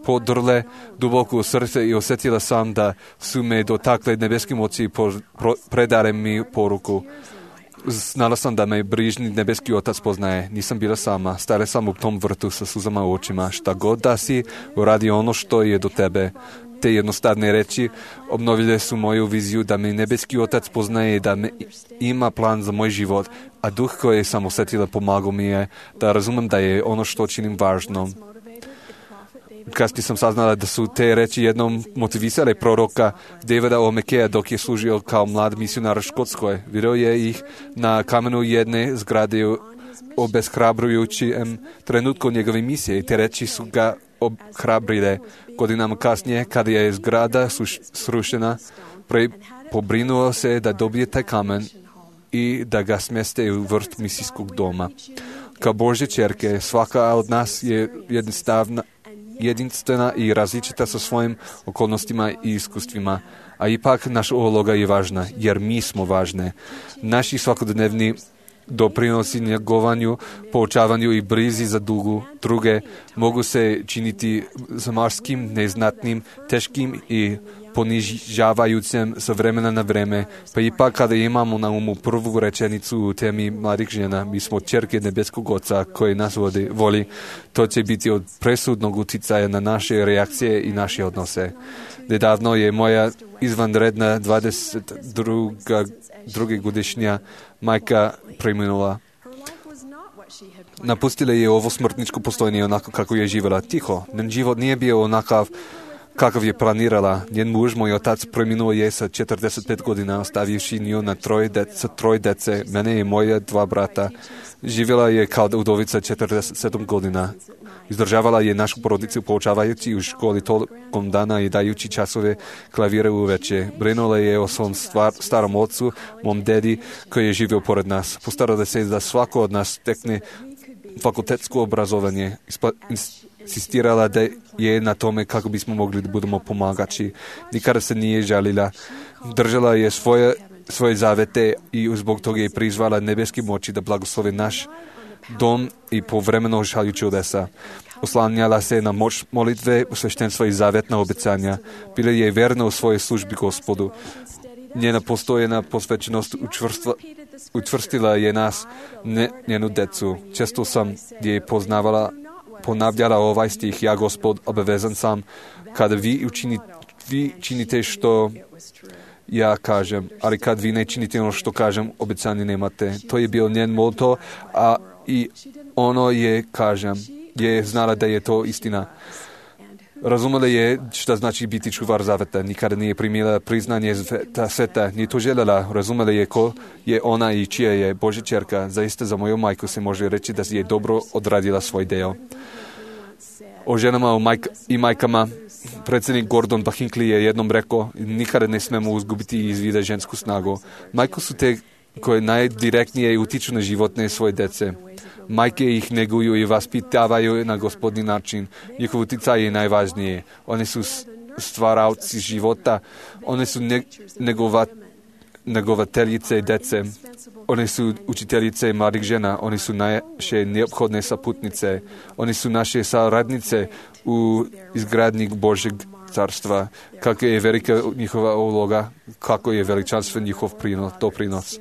podrle duboko u srce i osjetila sam da su me dotakle nebeski moći i predare mi poruku. Znala sam da me brižni nebeski Otac poznaje. Nisam bila sama. Stala sam u tom vrtu sa suzama u očima. Šta god da si, uradi ono što je do tebe. Te jednostavne reči obnovile su moju viziju da me nebeski Otac poznaje i da ima plan za moj život, a duh koji sam osjetila pomagao mi je da razumem da je ono što činim važno. Kasnije sam saznala da su te reči jednom motivisale proroka Davida O'Mackeya dok je služio kao mlad misionar u Škotskoj. Vidio je ih na kamenu jedne zgrade u obeshrabrujućem trenutku njegove misije i te reči su ga obhrabrile. Godinama kasnije, kada je zgrada srušena, pobrinuo se da dobije taj kamen i da ga smjeste u vrt misijskog doma. Kao Božje ćerke, svaka od nas je jedinstvena i različita sa svojim okolnostima i iskustvima, a ipak naša uloga je važna, jer mi smo važne. Naši svakodnevni doprinosi njegovanju, poučavanju i brizi za druge mogu se činiti zamarskim, neznatnim, teškim i ponižavajućem sa vremena na vreme, pa ipak kada imamo na umu prvu rečenicu u temi mladih žena, mi smo ćerke nebeskog Oca koji nas voli, to će biti od presudnog utjecaja na naše reakcije i naše odnose. Nedavno je moja izvanredna 22. godišnja majka preminula. Napustila je ovo smrtničko postojanje onako kako je živjela tiho. Njen život nije bio onakav kakav je planirala. Njen muž, moj otac, preminuo je sa 45 godina, ostavivši nju na troj dece, mene i moje 2 brata. Živjela je kao udovica 47 godina. Izdržavala je našu porodicu poučavajući u školi tokom dana i dajući časove klavire uveče. Brinula je o svom starom ocu, mom dedi, koji je živio pored nas. Postarala se da svako od nas stekne fakultetsko obrazovanje. Insistirala da je na tome kako bismo mogli da budemo pomagači. Nikada se nije žalila. Držala je svoje zavete i zbog toga je prizvala nebeski moći da blagoslovi naš dom i povremeno šalju čudesa. Oslanjala se na moć molitve, sveštenstva i zavetna obećanja. Bila je verna u svojoj službi Gospodu. Njena postojena posvećenost učvrstila je nas, njenu decu. Često sam je ponavljala ovaj stih: ja, Gospod, obavezan sam kada vi činite što ja kažem, ali kad vi ne činite ono što kažem, obećanje nemate. To je bio njen moto, a i ono je znala da je to istina. Razumela je šta znači biti čuvar zaveta. Nikada nije primila priznanje sveta, nije to željela. Razumela je ko je ona i čija je Božja ćerka. Zaista za moju majku se može reći da je dobro odradila svoj deo. O ženama i majkama predsjednik Gordon B. Hinckley je jednom rekao: nikada ne smemo izgubiti iz vida žensku snagu. Majke su te koje najdirektnije utiču na životne svoje dece. Majke ih neguju i vaspitavaju na gospodni način. Njihov uticaj je najvažnije. One su stvaravci života. One su negovateljice dece. One su učiteljice mladih žena. One su naše neophodne saputnice. One su naše saradnice u izgradnji Božeg carstva. Kako je velika njihova uloga, kako je veličanstven njihov doprinos.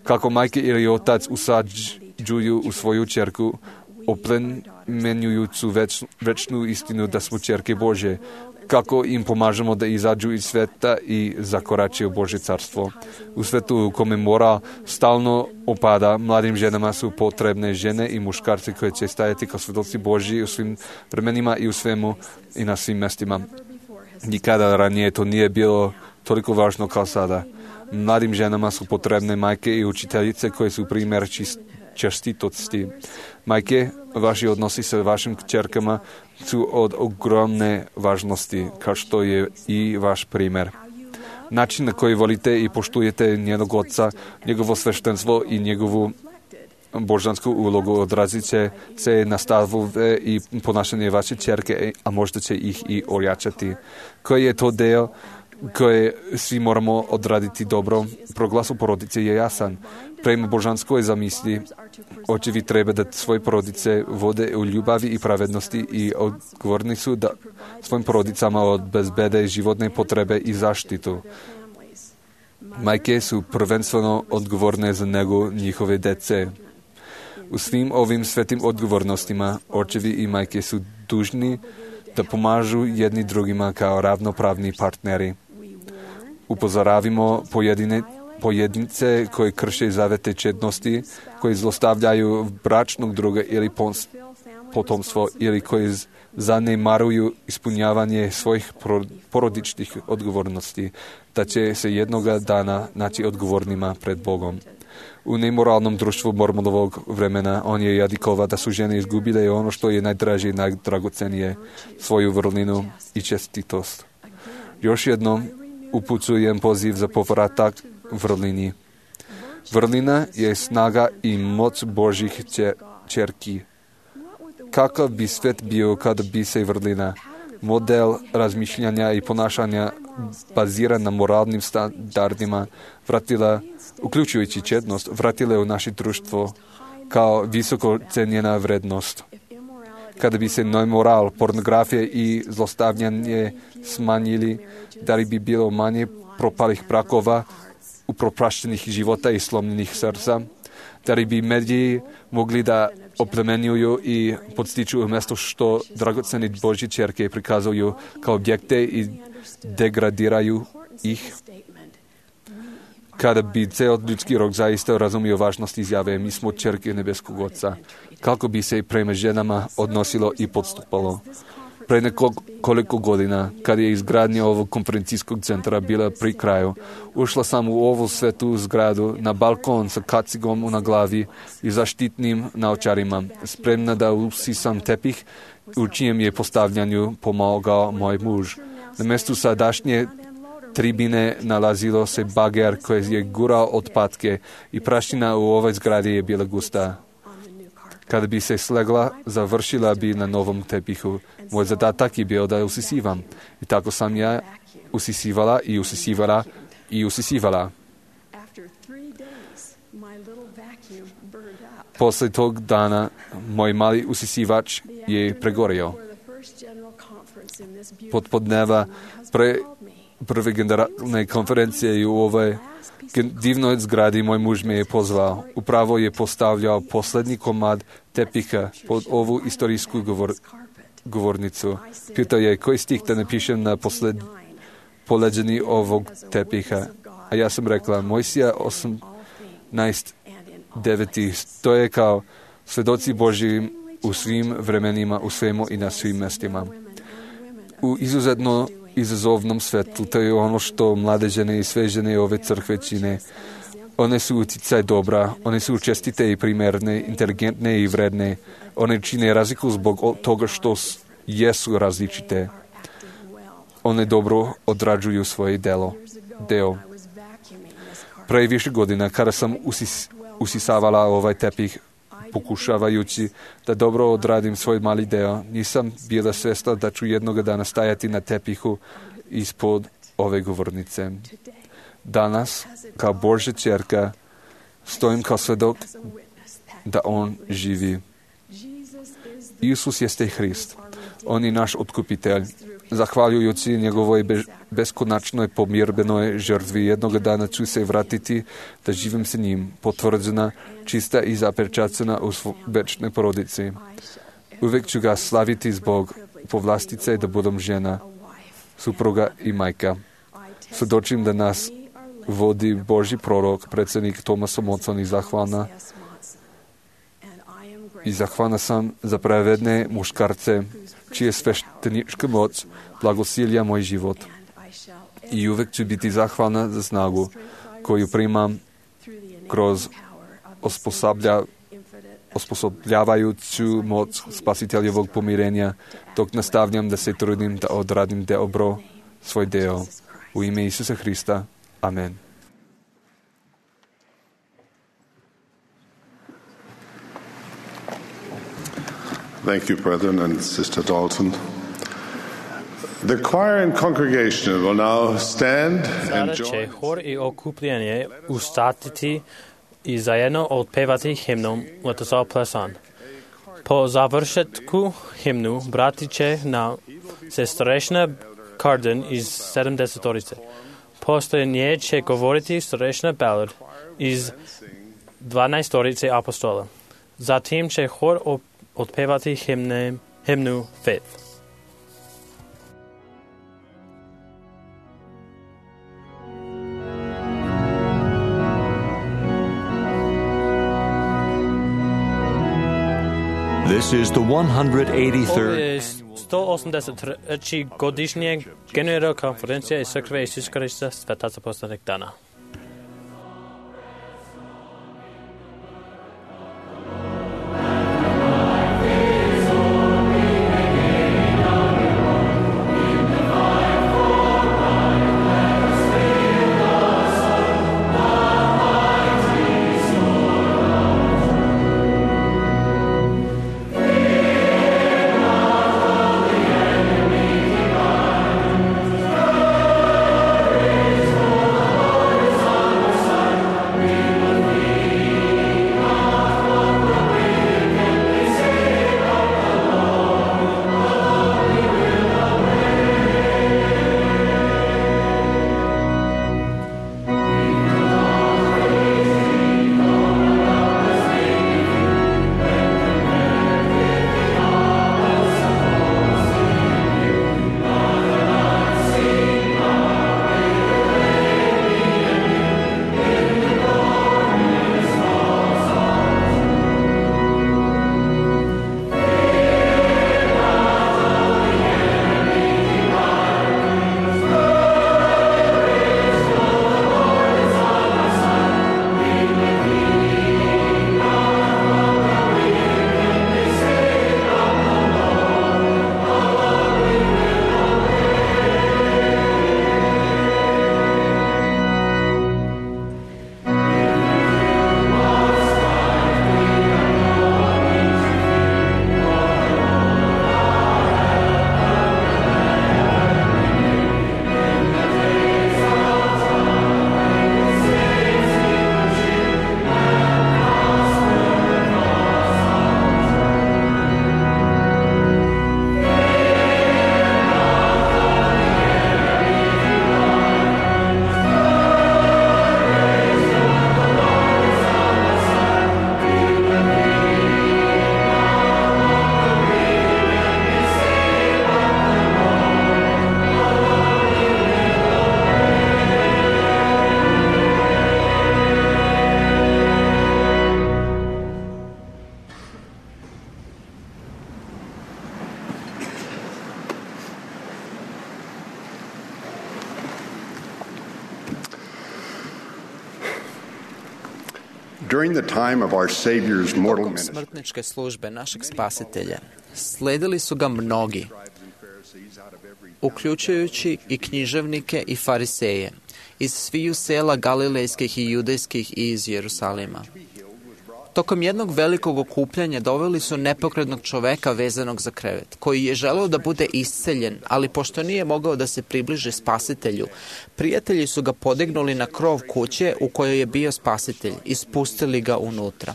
Kako majke ili otac usađuju u svoju ćerku, oplemenjujuću večnu istinu da smo ćerke Božje. Kako im pomažemo da izađu iz sveta i zakorače u Božje carstvo. U svetu u kome moral stalno opada, mladim ženama su potrebne žene i muškarci koji će stajati kao svedoci Božji u svim vremenima i u svemu i na svim mestima. Nikada ranije to nije bilo toliko važno kao sada. Mladim ženama su potrebne majke i učiteljice koje su primjer čestitosti. Majke, vaši odnosi sa vašim kćerkama su od ogromne važnosti, kao što je i vaš primjer. Način na koji volite i poštujete njenog oca, njegovo sveštenstvo i njegovu božansku ulogu odrazit će se na stavove i ponašanje vaše ćerke, a možda će ih i ojačati. Koji je to deo koje svi moramo odraditi dobro? Proglas u porodice je jasan. Prema božanskoj zamisli, očevi treba da svoje porodice vode u ljubavi i pravednosti i odgovorni su da svojim porodicama obezbede životne potrebe i zaštitu. Majke su prvenstveno odgovorne za nego njihove dece. U svim ovim svetim odgovornostima očevi i majke su dužni da pomažu jedni drugima kao ravnopravni partneri. Upozoravimo pojedince koji krše zavete čednosti, koji zlostavljaju bračnog druga ili potomstvo ili koji zanemaruju ispunjavanje svojih porodičnih odgovornosti, da će se jednoga dana naći odgovornima pred Bogom. U nemoralnom društvu Mormonovog vremena on je jadikova da su žene izgubile ono što je najdraže i najdragocenije, svoju vrlinu i čestitost. Još jednom upućujem poziv za povratak vrlini. Vrlina je snaga i moć Božjih ćerki. Kakav bi svet bio kada bi se vrlina, model razmišljanja i ponašanja baziran na moralnim standardima, vratila, uključujući čednost, vratile u naše društvo kao visoko cenjena vrednost. Kada bi se nemoral, pornografija i zlostavljanje smanjili, da li bi bilo manje propalih brakova, upropaštenih života i slomljenih srca, da li bi mediji mogli da oplemenjuju i podstiču umjesto što dragoceni Božje ćerke prikazuju kao objekte i degradiraju ih. Kada bi ceo ljudski rod zaista razumio važnost izjave mi smo ćerke nebeskog Oca, kako bi se prema ženama odnosilo i podstupalo. Pre nekoliko godina, kad je izgradnja ovog konferencijskog centra bila pri kraju, ušla sam u ovu svetu zgradu na balkon sa kacigom na glavi i zaštitnim naočarima, spremna da usisam tepih, u čijem je postavljanju pomogao moj muž. Na mjestu sadašnje tribine nalazilo se bager koji je gurao otpadke i prašina u ovoj zgradi je bila gusta. Kada bi se slegla, završila bi na novom tepihu. Moj zadatak je bio da usisivam. I tako sam ja usisivala i usisivala i usisivala. Posle tog dana moj mali usisivač je pregorio. Podneva prve generalne konferencije i u ovoj divnoj zgradi moj muž me je pozvao. Upravo je postavljao posljednji komad tepiha pod ovu istorijsku govornicu. Pitao je koji stih da napišem na poleđeni ovog tepiha. A ja sam rekla Mojsija 18:9. To je kao svedoci Božji u svim vremenima, u svemu i na svim mestima. U izuzetno izazovnom svetu, to je ono što mlade žene i sve žene ove crkve čine. One su uticaj dobra, one su čestite i primerne, inteligentne i vredne. One čine razliku zbog toga što jesu različite. One dobro odrađuju svoje deo. Pre više godina, kada sam usisavala ovaj tepih, pokušavajući da dobro odradim svoj mali deo, nisam bila svjesna da ću jednog dana stajati na tepihu ispod ove govornice. Danas, kao Božja ćerka, stojim kao svedok da On živi. Isus jeste Hrist. On je naš otkupitelj. Zahvaljujući njegovoj beskonačnoj pomirbenoj žrtvi, jednog dana ću se vratiti da živim sa njim, potvrđena, čista i zapečaćena u večnoj porodici. Uvek ću ga slaviti zbog povlastice da budem žena, supruga i majka. Svedočim da nas vodi Božji prorok, predsjednik Thomas Monson i zahvalna sam za pravedne muškarce, čije sveštenička moć blagosilja moj život. I uvek ću biti zahvalna za snagu koju primam kroz osposobljavajuću moć spasiteljevog pomirenja, dok nastavljam da se trudim da odradim dobro svoj deo. U ime Isusa Hrista. Amen. Thank you, brethren and Sister Dalton. The choir and congregation will now stand and Sada će join. hor i okupljanje ustatiti i zajedno otpevati himnom Let Us All Press On. Po završetku himnu brati će na starešina Carden iz 70-orice. Posle nje će govoriti starešina Ballard iz 12-orice apostola. Zatim će hor otpevati himnu Faith. This is the 183rd. Ovo je 183. godišnje generalna konferencija iz crkve Isusa Hrista Svetaca poslednjeg dana. During the time of our Savior's mortal Tokom ministry, smrtničke službe našeg spasitelja sledili su ga mnogi, uključujući i književnike i fariseje, iz sviju sela galilejskih i judejskih i iz Jerusalima. Tokom jednog velikog okupljanja doveli su nepokretnog čoveka vezanog za krevet, koji je želeo da bude isceljen, ali pošto nije mogao da se približi spasitelju, prijatelji su ga podignuli na krov kuće u kojoj je bio spasitelj i spustili ga unutra.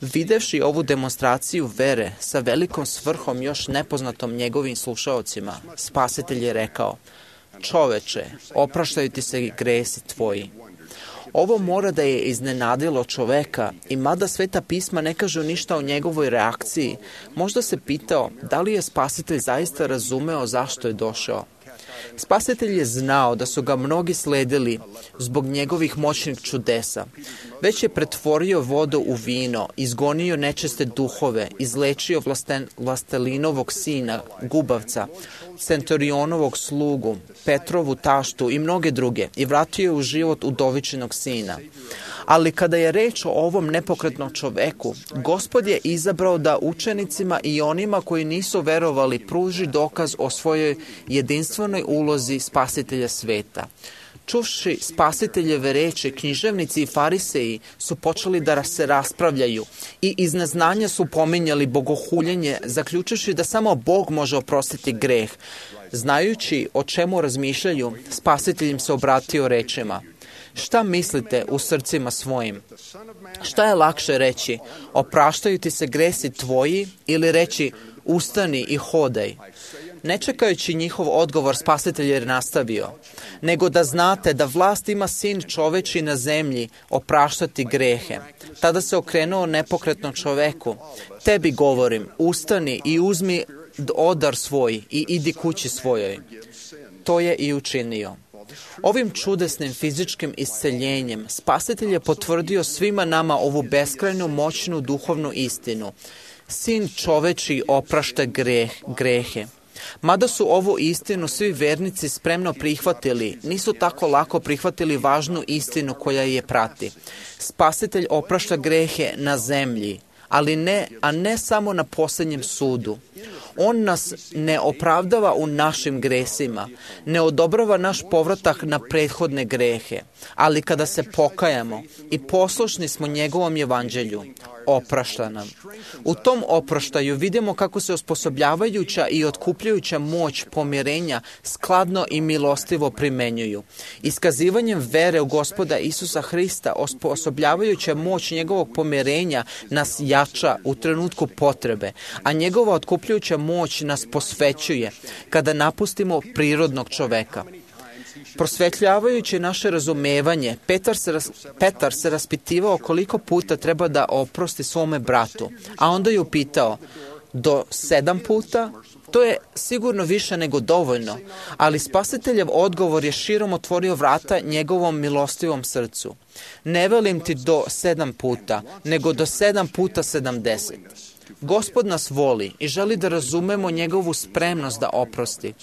Videvši ovu demonstraciju vere sa velikom svrhom još nepoznatom njegovim slušaocima, spasitelj je rekao: "Čoveče, opraštaju ti se gresi tvoji." Ovo mora da je iznenadilo čoveka i mada Sveta pisma ne kažu ništa o njegovoj reakciji, možda se pitao da li je spasitelj zaista razumeo zašto je došao. Spasitelj je znao da su ga mnogi sledili zbog njegovih moćnih čudesa. Već je pretvorio vodu u vino, izgonio nečiste duhove, izlečio vlastelinovog sina, gubavca, centurionovog slugu, Petrovu taštu i mnoge druge i vratio je u život udovičinog sina. Ali kada je reč o ovom nepokretnom čoveku, Gospod je izabrao da učenicima i onima koji nisu verovali pruži dokaz o svojoj jedinstvenoj ulozi spasitelja sveta. Čuvši spasiteljeve reči, književnici i fariseji su počeli da se raspravljaju i iz neznanja su pominjali bogohuljenje, zaključivši da samo Bog može oprostiti greh. Znajući o čemu razmišljaju, spasitelj im se obratio rečima: "Šta mislite u srcima svojim? Šta je lakše reći? Opraštaju ti se gresi tvoji ili reći ustani i hodaj?" Ne čekajući njihov odgovor, spasitelj je nastavio: "Nego da znate da vlast ima sin čoveči na zemlji opraštati grehe." Tada se okrenuo nepokretnom čoveku: "Tebi govorim, ustani i uzmi odar svoj i idi kući svojoj." To je i učinio. Ovim čudesnim fizičkim isceljenjem spasitelj je potvrdio svima nama ovu beskrajnu moćnu duhovnu istinu. Sin čoveči oprašta grehe. Mada su ovu istinu svi vernici spremno prihvatili, nisu tako lako prihvatili važnu istinu koja je prati. Spasitelj oprašta grehe na zemlji, a ne samo na posljednjem sudu. On nas ne opravdava u našim gresima, ne odobrava naš povratak na prethodne grehe, ali kada se pokajamo i poslušni smo njegovom evanđelju, oprašta nam. U tom oproštaju vidimo kako se osposobljavajuća i otkupljujuća moć pomirenja skladno i milostivo primenjuju. Iskazivanjem vere u Gospoda Isusa Hrista, osposobljavajuća moć njegovog pomirenja nas jača u trenutku potrebe, a njegova otkupljujuća moć nas posvećuje kada napustimo prirodnog čoveka. Prosvetljavajući naše razumevanje, Petar se raspitivao koliko puta treba da oprosti svome bratu, a onda je upitao: "Do 7 puta?" To je sigurno više nego dovoljno, ali spasiteljev odgovor je širom otvorio vrata njegovom milostivom srcu. "Ne velim ti do 7 puta, nego do 7 puta 70. Gospod nas voli i želi da razumemo njegovu spremnost da oprosti.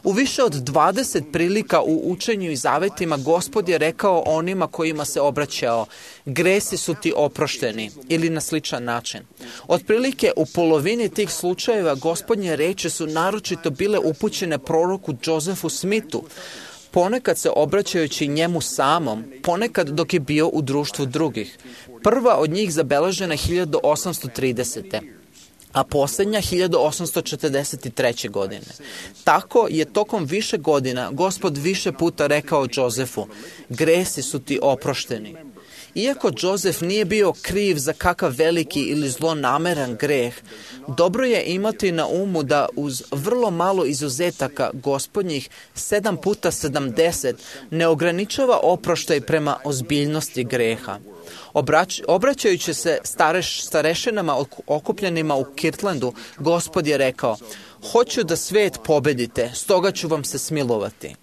U više od 20 prilika u učenju i zavetima Gospod je rekao onima kojima se obraćao: "Gresi su ti oprošteni", ili na sličan način. Otprilike u polovini tih slučajeva Gospodnje reči su naročito bile upućene proroku Josefu Smithu, ponekad se obraćajući njemu samom, ponekad dok je bio u društvu drugih. Prva od njih zabeležena 1830. a posljednja 1843. godine. Tako je tokom više godina Gospod više puta rekao Josefu: "Gresi su ti oprošteni." Iako Josef nije bio kriv za kakav veliki ili zlonameran greh, dobro je imati na umu da uz vrlo malo izuzetaka Gospodnjih 7 puta 70 ne ograničava oproštaj prema ozbiljnosti greha. Obraćajući se starešinama okupljenima u Kirtlandu, Gospod je rekao: "Hoću da svet pobedite, stoga ću vam se smilovati."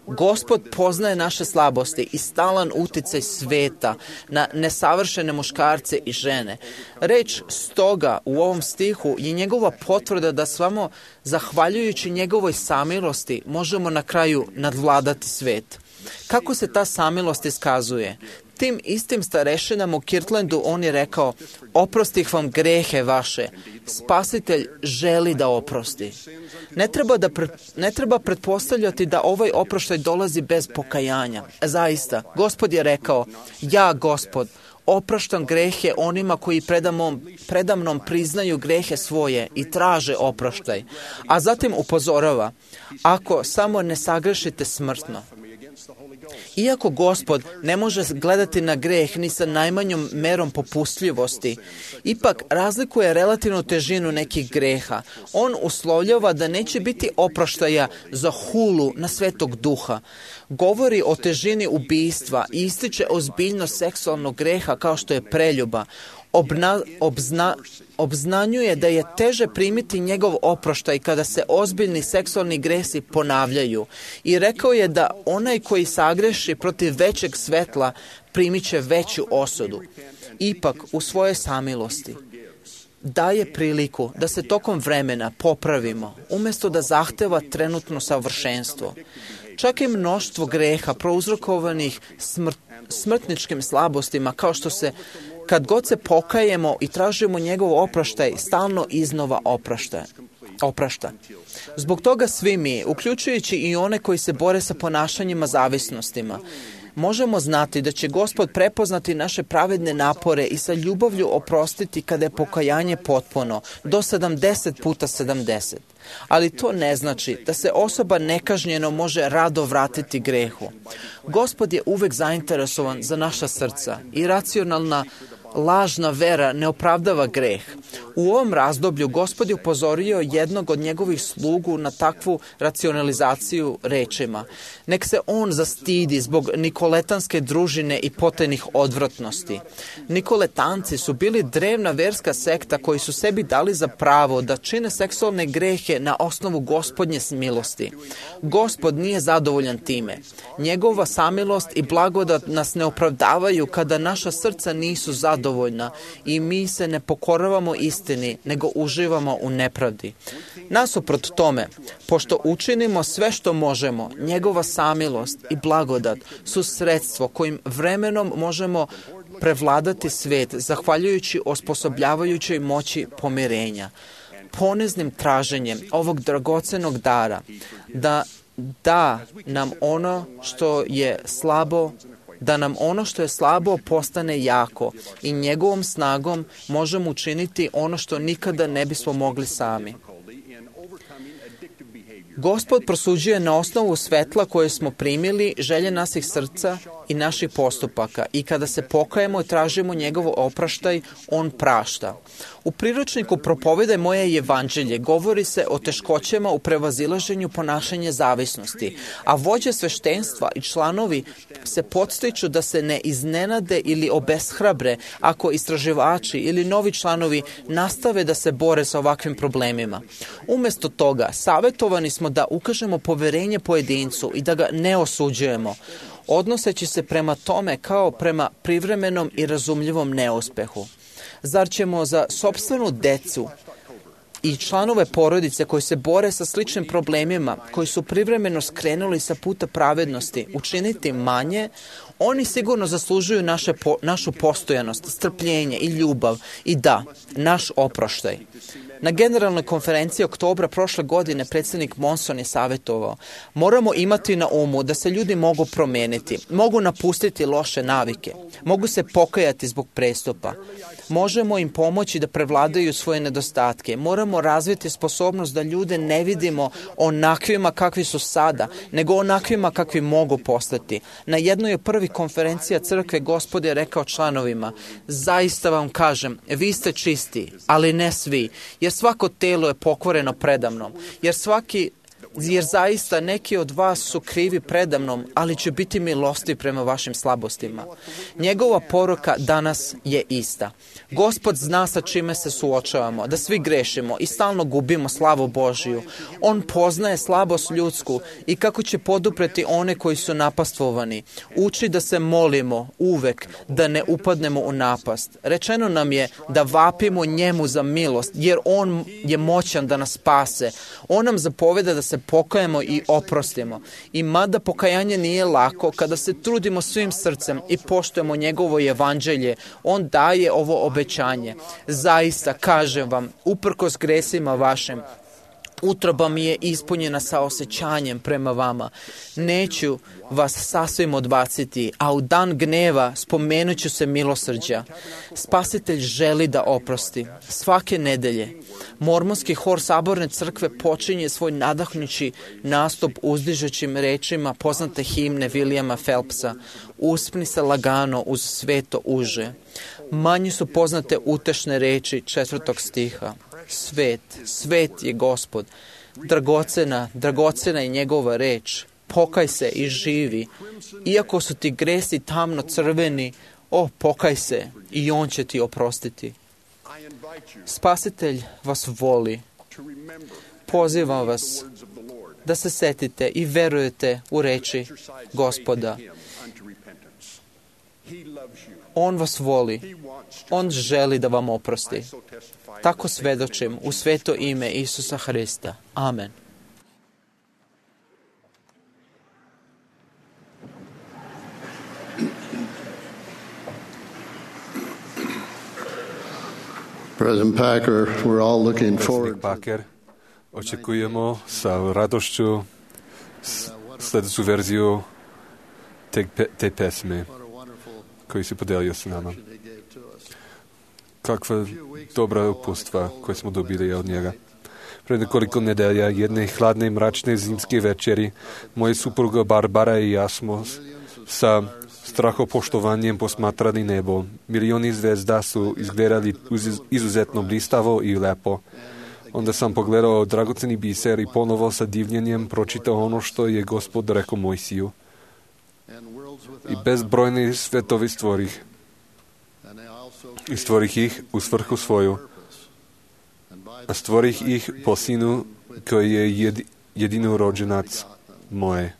Gospod poznaje naše slabosti i stalan uticaj sveta na nesavršene muškarce i žene. Reč stoga u ovom stihu je njegova potvrda da samo zahvaljujući njegovoj samilosti možemo na kraju nadvladati svet. Kako se ta samilost iskazuje? Tim istim starešinama u Kirtlandu on je rekao, oprostih vam grehe vaše. Spasitelj želi da oprosti. Ne treba pretpostavljati da ovaj oproštaj dolazi bez pokajanja. Zaista, Gospod je rekao, ja, Gospod, opraštam grehe onima koji predamnom priznaju grehe svoje i traže oproštaj. A zatim upozorava, ako samo ne sagrešite smrtno. Iako Gospod ne može gledati na greh ni sa najmanjom merom popustljivosti, ipak razlikuje relativnu težinu nekih greha. On uslovljava da neće biti oproštaja za hulu na Svetog Duha. Govori o težini ubijstva i ističe ozbiljnost seksualnog greha kao što je preljuba. Obznanjuje da je teže primiti njegov oproštaj kada se ozbiljni seksualni gresi ponavljaju i rekao je da onaj koji sagreši protiv većeg svetla primit će veću osudu. Ipak, u svojoj samilosti daje priliku da se tokom vremena popravimo, umjesto da zahteva trenutno savršenstvo. Čak i mnoštvo greha prouzrokovanih smrtničkim slabostima, kao što se kad god se pokajemo i tražimo njegov oproštaj, stalno iznova oprašta. Zbog toga svi mi, uključujući i one koji se bore sa ponašanjima zavisnostima, možemo znati da će Gospod prepoznati naše pravedne napore i sa ljubavlju oprostiti kada je pokajanje potpuno, do 70 puta 70. Ali to ne znači da se osoba nekažnjeno može rado vratiti grehu. Gospod je uvek zainteresovan za naša srca i racionalna lažna vera ne opravdava greh. U ovom razdoblju Gospod je upozorio jednog od njegovih slugu na takvu racionalizaciju rečima. Nek se on zastidi zbog nikoletanske družine i potajnih odvratnosti. Nikoletanci su bili drevna verska sekta koji su sebi dali za pravo da čine seksualne grehe na osnovu Gospodnje milosti. Gospod nije zadovoljan time. Njegova samilost i blagodat nas ne opravdavaju kada naša srca nisu zadovoljna i mi se ne pokoravamo istini, nego uživamo u nepravdi. Nasuprot tome, pošto učinimo sve što možemo, njegova samilost i blagodat su sredstvo kojim vremenom možemo prevladati svet, zahvaljujući osposobljavajućoj moći pomirenja. Poniznim traženjem ovog dragocenog dara, da nam ono što je slabo postane jako i njegovom snagom možemo učiniti ono što nikada ne bismo mogli sami. Gospod prosuđuje na osnovu svetla koje smo primili želje naših srca i naših postupaka i kada se pokajemo i tražimo njegov opraštaj, on prašta. U priručniku Propovedaj moje evanđelje govori se o teškoćama u prevazilaženju ponašanja zavisnosti, a vođe sveštenstva i članovi se podstiču da se ne iznenade ili obeshrabre ako istraživači ili novi članovi nastave da se bore sa ovakvim problemima. Umjesto toga, savjetovani smo da ukažemo poverenje pojedincu i da ga ne osuđujemo, odnoseći se prema tome kao prema privremenom i razumljivom neuspehu. Zar ćemo za sopstvenu decu i članove porodice koji se bore sa sličnim problemima, koji su privremeno skrenuli sa puta pravednosti, učiniti manje? Oni sigurno zaslužuju našu postojanost, strpljenje i ljubav i naš oproštaj. Na generalnoj konferenciji oktobra prošle godine predsjednik Monson je savjetovao: moramo imati na umu da se ljudi mogu promijeniti, mogu napustiti loše navike, mogu se pokajati zbog prestupa. Možemo im pomoći da prevladaju svoje nedostatke. Moramo razviti sposobnost da ljude ne vidimo onakvima kakvi su sada, nego onakvima kakvi mogu postati. Na jednoj od prvih konferencija crkve Gospod je rekao članovima: zaista vam kažem, vi ste čisti, ali ne svi, jer svako telo je pokvareno predamnom, jer zaista neki od vas su krivi predamnom, ali će biti milosti prema vašim slabostima. Njegova poruka danas je ista. Gospod zna sa čime se suočavamo, da svi grešimo i stalno gubimo slavu Božiju. On poznaje slabost ljudsku i kako će podupreti one koji su napastvovani. Uči da se molimo uvek, da ne upadnemo u napast. Rečeno nam je da vapimo njemu za milost, jer on je moćan da nas spase. On nam zapoveda da se pokajemo i oprostimo. I mada pokajanje nije lako, kada se trudimo svim srcem i poštujemo njegovo evanđelje, on daje ovo obećanje. Zaista, kažem vam, uprkos gresima vašim, utroba mi je ispunjena sa osjećanjem prema vama. Neću vas sasvim odbaciti, a u dan gneva spomenut ću se milosrđa. Spasitelj želi da oprosti. Svake nedelje Mormonski hor Saborne crkve počinje svoj nadahnući nastup uzdižućim rečima poznate himne Williama Phelpsa: Uspni se lagano uz sveto uže. Manje su poznate utešne reči 4. stiha. Svet je Gospod. Dragocena je njegova reč. Pokaj se i živi. Iako su ti gresi tamno crveni, pokaj se i on će ti oprostiti. Spasitelj vas voli. Pozivam vas da se setite i verujete u reči Gospoda. On vas voli. On želi da vam oprosti. Tako svedočim u sveto ime Isusa Hrista. Amen. President Packer, we're all looking forward. Packer, očekujemo sa radošću sljedeću verziju te pesme koju si podelio s nama. Kakva dobra upustva koje smo dobili od njega. Pred nekoliko nedelja, jedne hladne, mračne zimske večeri, moja supruga Barbara i ja smo sa strahopoštovanjem posmatrali nebo. Milioni zvezda su izgledali izuzetno blistavo i lepo. Onda sam pogledao dragoceni biser i ponovo sa divljenjem pročitao ono što je Gospod rekao Mojsiju. I bezbrojni svetovi stvorih. I stvorih ih u svrhu svoju. A stvorih ih po sinu koji je jedinorođenac moje.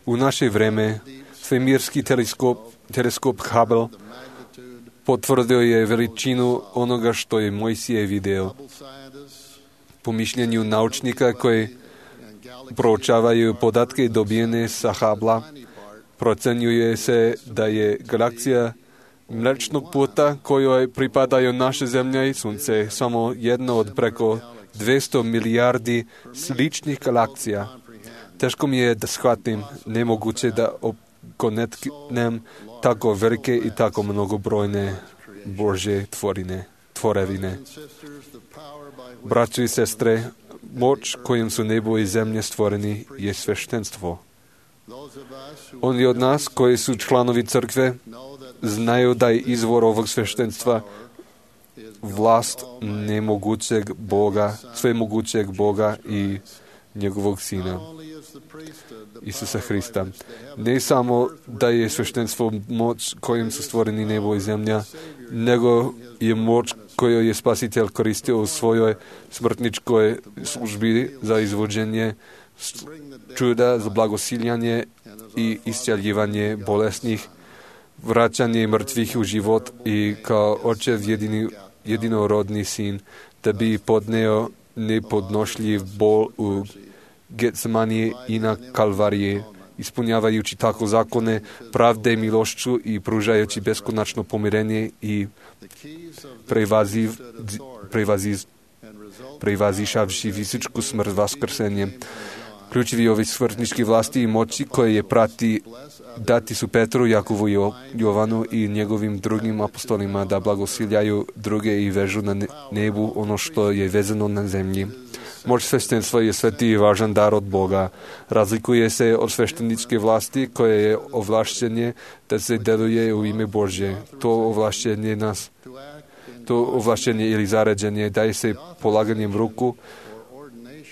U naše vreme svemirski teleskop Hubble potvrdio je veličinu onoga što je Mojsije video. Po mišljenju naučnika koji proučavaju podatke dobijene sa Hubble, procenjuje se da je galaksija Mlečnog puta kojoj pripadaju naše zemlja i sunce samo jedna od preko 200 milijardi sličnih galaksija. Teško mi je da shvatim, nemoguće da konetnem tako velike i tako mnogobrojne Božje tvorevine. Braćo i sestre, moć kojom su nebo i zemlje stvoreni je sveštenstvo. Oni od nas koji su članovi crkve znaju da je izvor ovog sveštenstva vlast nemogućeg Boga, svemogućeg Boga i njegovog Sina, Isusa Hrista. Ne samo da je sveštenstvo moć kojim su stvoreni nebo i zemlja, nego je moć koju je Spasitelj koristio u svojoj smrtničkoj službi za izvođenje čuda, za blagosiljanje i iscjeljivanje bolesnih, vraćanje mrtvih u život i kao očev jedinorodni sin, da bi podneo nepodnošljiv bol u Getsemani i na Kalvariji, ispunjavajući tako zakone pravde i milošću i pružajući beskonačno pomirenje i prevazišavši fizičku smrt vaskrsenjem. Ključevi ovi smrtnički vlasti i moći koje je prati dati su Petru, Jakovu i Jovanu i njegovim drugim apostolima da blagosiljaju druge i vežu na nebu ono što je vezano na zemlji. Moć sveštenstva je sveti i važan dar od Boga. Razlikuje se od svešteničke vlasti koje je ovlašćenje da se deluje u ime Božje. To ovlašćenje ili zaređenje daje se polaganjem ruku.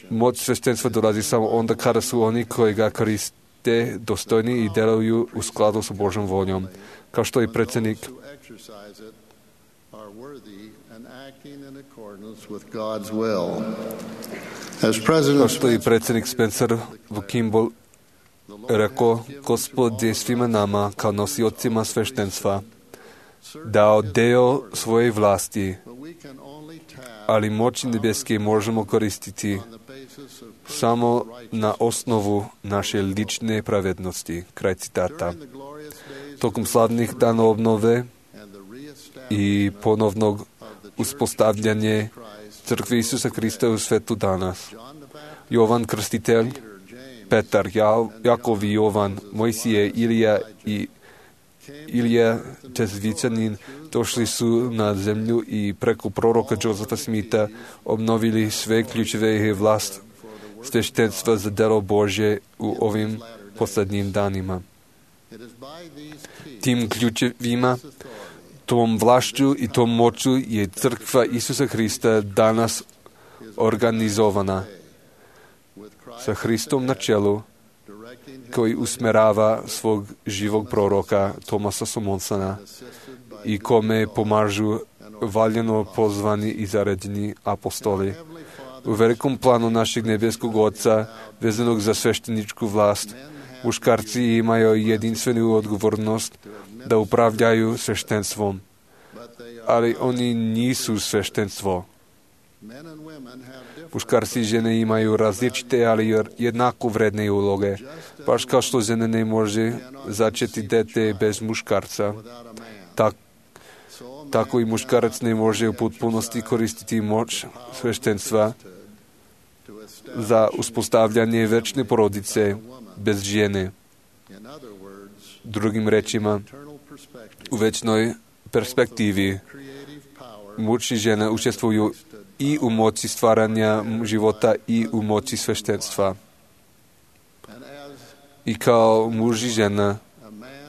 Moć sveštenstva dolazi samo onda kada su oni koji ga koriste dostojni i deluju u skladu sa Božom voljom. Kao što je predsjednik Spencer v Kimball rekao, Gospod je svima nama kao nosiocima sveštenstva dao deo svoje vlasti, ali moć nebeske možemo koristiti samo na osnovu naše lične pravednosti. Kraj citata. Tokom slavnih dana obnove i ponovnog uspostavljanje crkve Isusa Krista u svetu danas. Jovan Krstitelj, Petar, Jakov i Jovan, Mojsije, Ilija Čezvicanin došli su na zemlju i preko proroka Josefa Smitha obnovili sve ključeve i vlast sveštenstva za delo Božje u ovim posljednjim danima. Tim ključevima, tom vlašću i tom moću je crkva Isusa Krista danas organizovana sa Hristom na čelu, koji usmerava svog živog proroka Tomasa Somonsona i kome pomažu valjeno pozvani i zaređeni apostoli. U velikom planu našeg nebeskog Oca, vezanog za svešteničku vlast, muškarci imaju jedinstvenu odgovornost da upravljaju sveštenstvom, ali oni nisu sveštenstvo. Muškarci i žene imaju različite, ali jednako vredne uloge. Baš kao što žena ne može začeti dete bez muškarca, tako i muškarac ne može u potpunosti koristiti moć sveštenstva za uspostavljanje večne porodice bez žene. Drugim rečima, u večnoj perspektivi muž i žena učestvuju i u moći stvaranja života i u moći sveštenstva. I kao muž i žena,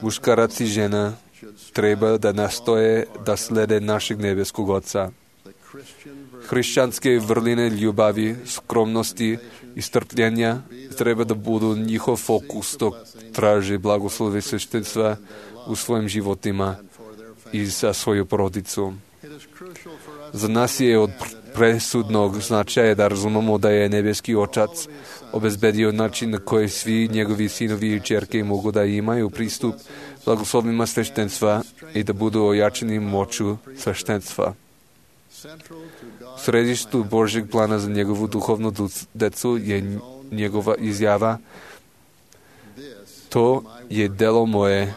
muškarac i žena treba da nastoje da slede našeg nebeskog Oca. Hrišćanske vrline ljubavi, skromnosti i strpljenja treba da budu njihov fokus dok traže blagoslove sveštenstva u svojim životima i za svoju porodicu. Za nas je od presudnog značaja da razumemo da je nebeski Otac obezbedio način na koji svi njegovi sinovi i ćerke mogu da imaju pristup blagoslovima sveštenstva i da budu ojačeni moću sveštenstva. U središtu Božjeg plana za njegovu duhovnu decu je njegova izjava: to je delo moje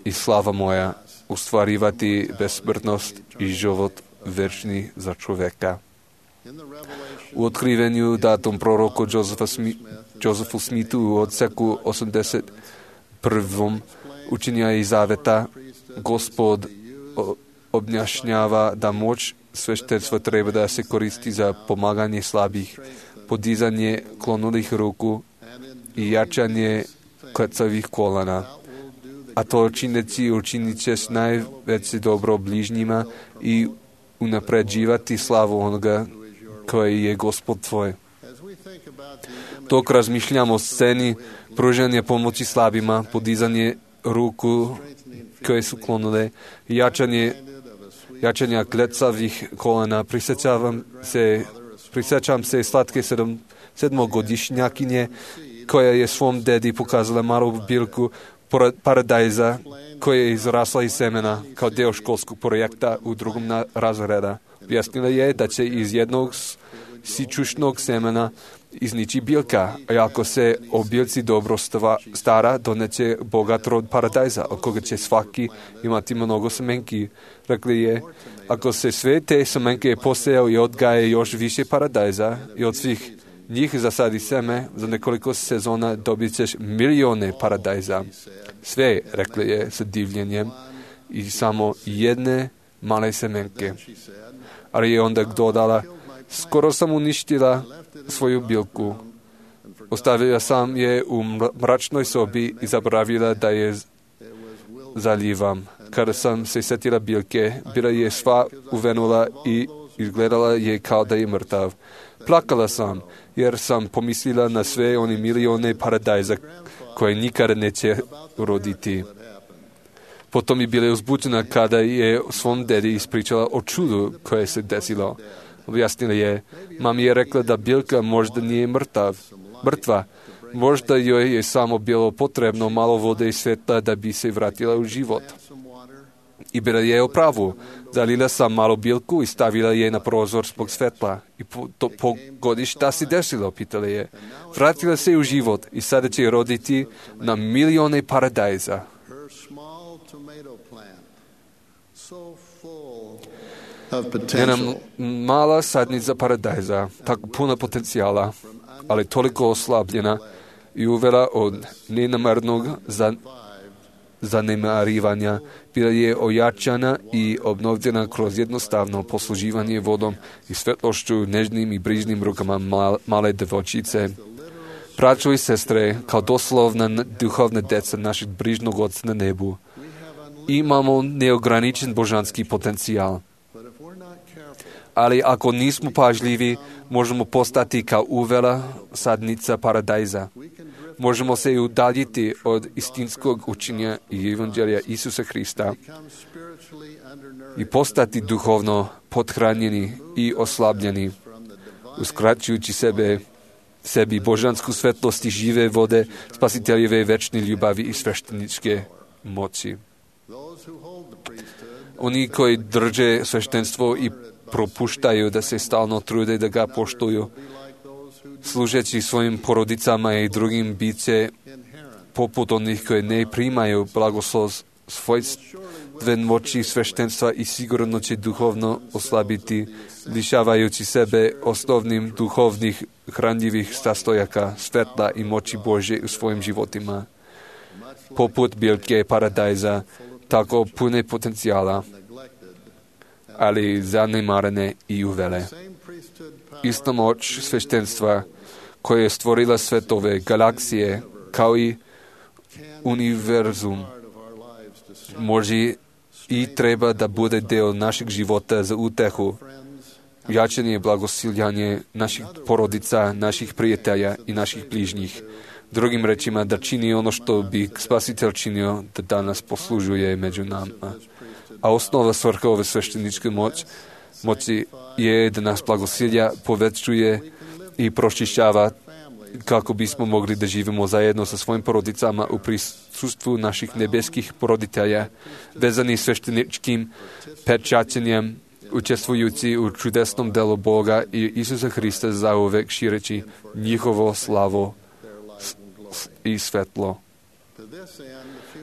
i slava moja, ustvarivati besmrtnost i život večni za čoveka. U otkrivenju datom proroku Josefu Smithu u odseku 81. učenja i zaveta Gospod objašnjava da moć sveštenstva treba da se koristi za pomaganje slabih, podizanje klonulih ruku i jačanje klecavih kolana. A to čineći učinit ćeš najveće dobro bližnjima i unapređivati slavu onoga koji je Gospod tvoj. Dok razmišljamo o sceni pružanja pomoći slabima, podizanje ruku koje su klonule, jačanja klecavih kolana, prisjećam se slatke sedmogodišnjakinje koja je svom dedi pokazala malu biljku paradajza koja je izrasla iz semena kao deo školskog projekta u drugom razreda. Objasnila je da će iz jednog sičušnog semena iznići biljka, a ako se o biljci dobro stara, doneće bogat rod paradajza, od koga će svaki imati mnogo semenki. Rekli je, ako se sve te semenke posejao i odgaje još više paradajza i od svih njih zasadi seme, za nekoliko sezona dobit ćeš milijone paradajza. Sve, rekli je sa divljenjem, i samo jedne male semenke. Ali je onda dodala, skoro sam uništila svoju biljku. Ostavila sam je u mračnoj sobi i zaboravila da je zalivam. Kada sam se sjetila biljke, bila je sva uvenula i izgledala je kao da je mrtav. Plakala sam, jer sam pomislila na sve one milijone paradajza koje nikada neće roditi. Potom je bila uzbuđena kada je svom dedi ispričala o čudu koje se desilo. Objasnila je, mami je rekla da biljka možda nije mrtva, možda joj je samo bilo potrebno malo vode i svjetla da bi se vratila u život. I bila je u pravu. Zalila sam malo biljku i stavila je na prozor zbog svetla. I pogodi šta se desilo, pitala je. Vratila se u život i sada će roditi na milione paradajza. Jedna mala sadnica paradajza, tako puna potencijala, ali toliko oslabljena i uvela od nenamarnog zanemarivanja, bila je ojačana i obnovljena kroz jednostavno posluživanje vodom i svetlošću, nežnim i brižnim rukama male devojčice. Braćo i sestre, kao doslovna duhovna deca našeg brižnog Oca na nebu, imamo neograničen božanski potencijal. Ali ako nismo pažljivi, možemo postati kao uvela sadnica paradajza. Možemo se udaljiti od istinskog učenja i evanđelja Isusa Hrista i postati duhovno pothranjeni i oslabljeni, uskraćujući sebi božansku svetlost i žive vode, spasiteljeve večne ljubavi i svešteničke moći. Oni koji drže sveštenstvo i propuštaju da se stalno trude da ga poštuju, služeći svojim porodicama i drugim biće poput onih koji ne primaju blagoslov svojstven moći sveštenstva i sigurno će duhovno oslabiti, lišavajući sebe osnovnim duhovnih hranjivih sastojaka, svetla i moći Božje u svojim životima. Poput biljke paradajza, tako pune potencijala, ali zanemarene i uvele. Ista moć sveštenstva koja je stvorila svetove, galaksije, kao i univerzum, može i treba da bude deo našeg života za utehu, jačanje i blagosiljanje naših porodica, naših prijatelja i naših bližnjih. Drugim rečima, da čini ono što bi Spasitelj činio, da danas poslužuje među nama. A osnova svrha ove svešteničke moći je da nas blagosilja, povećuje i pročišćava kako bismo mogli da živimo zajedno sa svojim porodicama u prisustvu naših nebeskih poroditelja, vezani svešteničkim pečaćenjem, učestvujući u čudesnom delu Boga i Isusa Hrista zauvek šireći njihovo slavo i svetlo.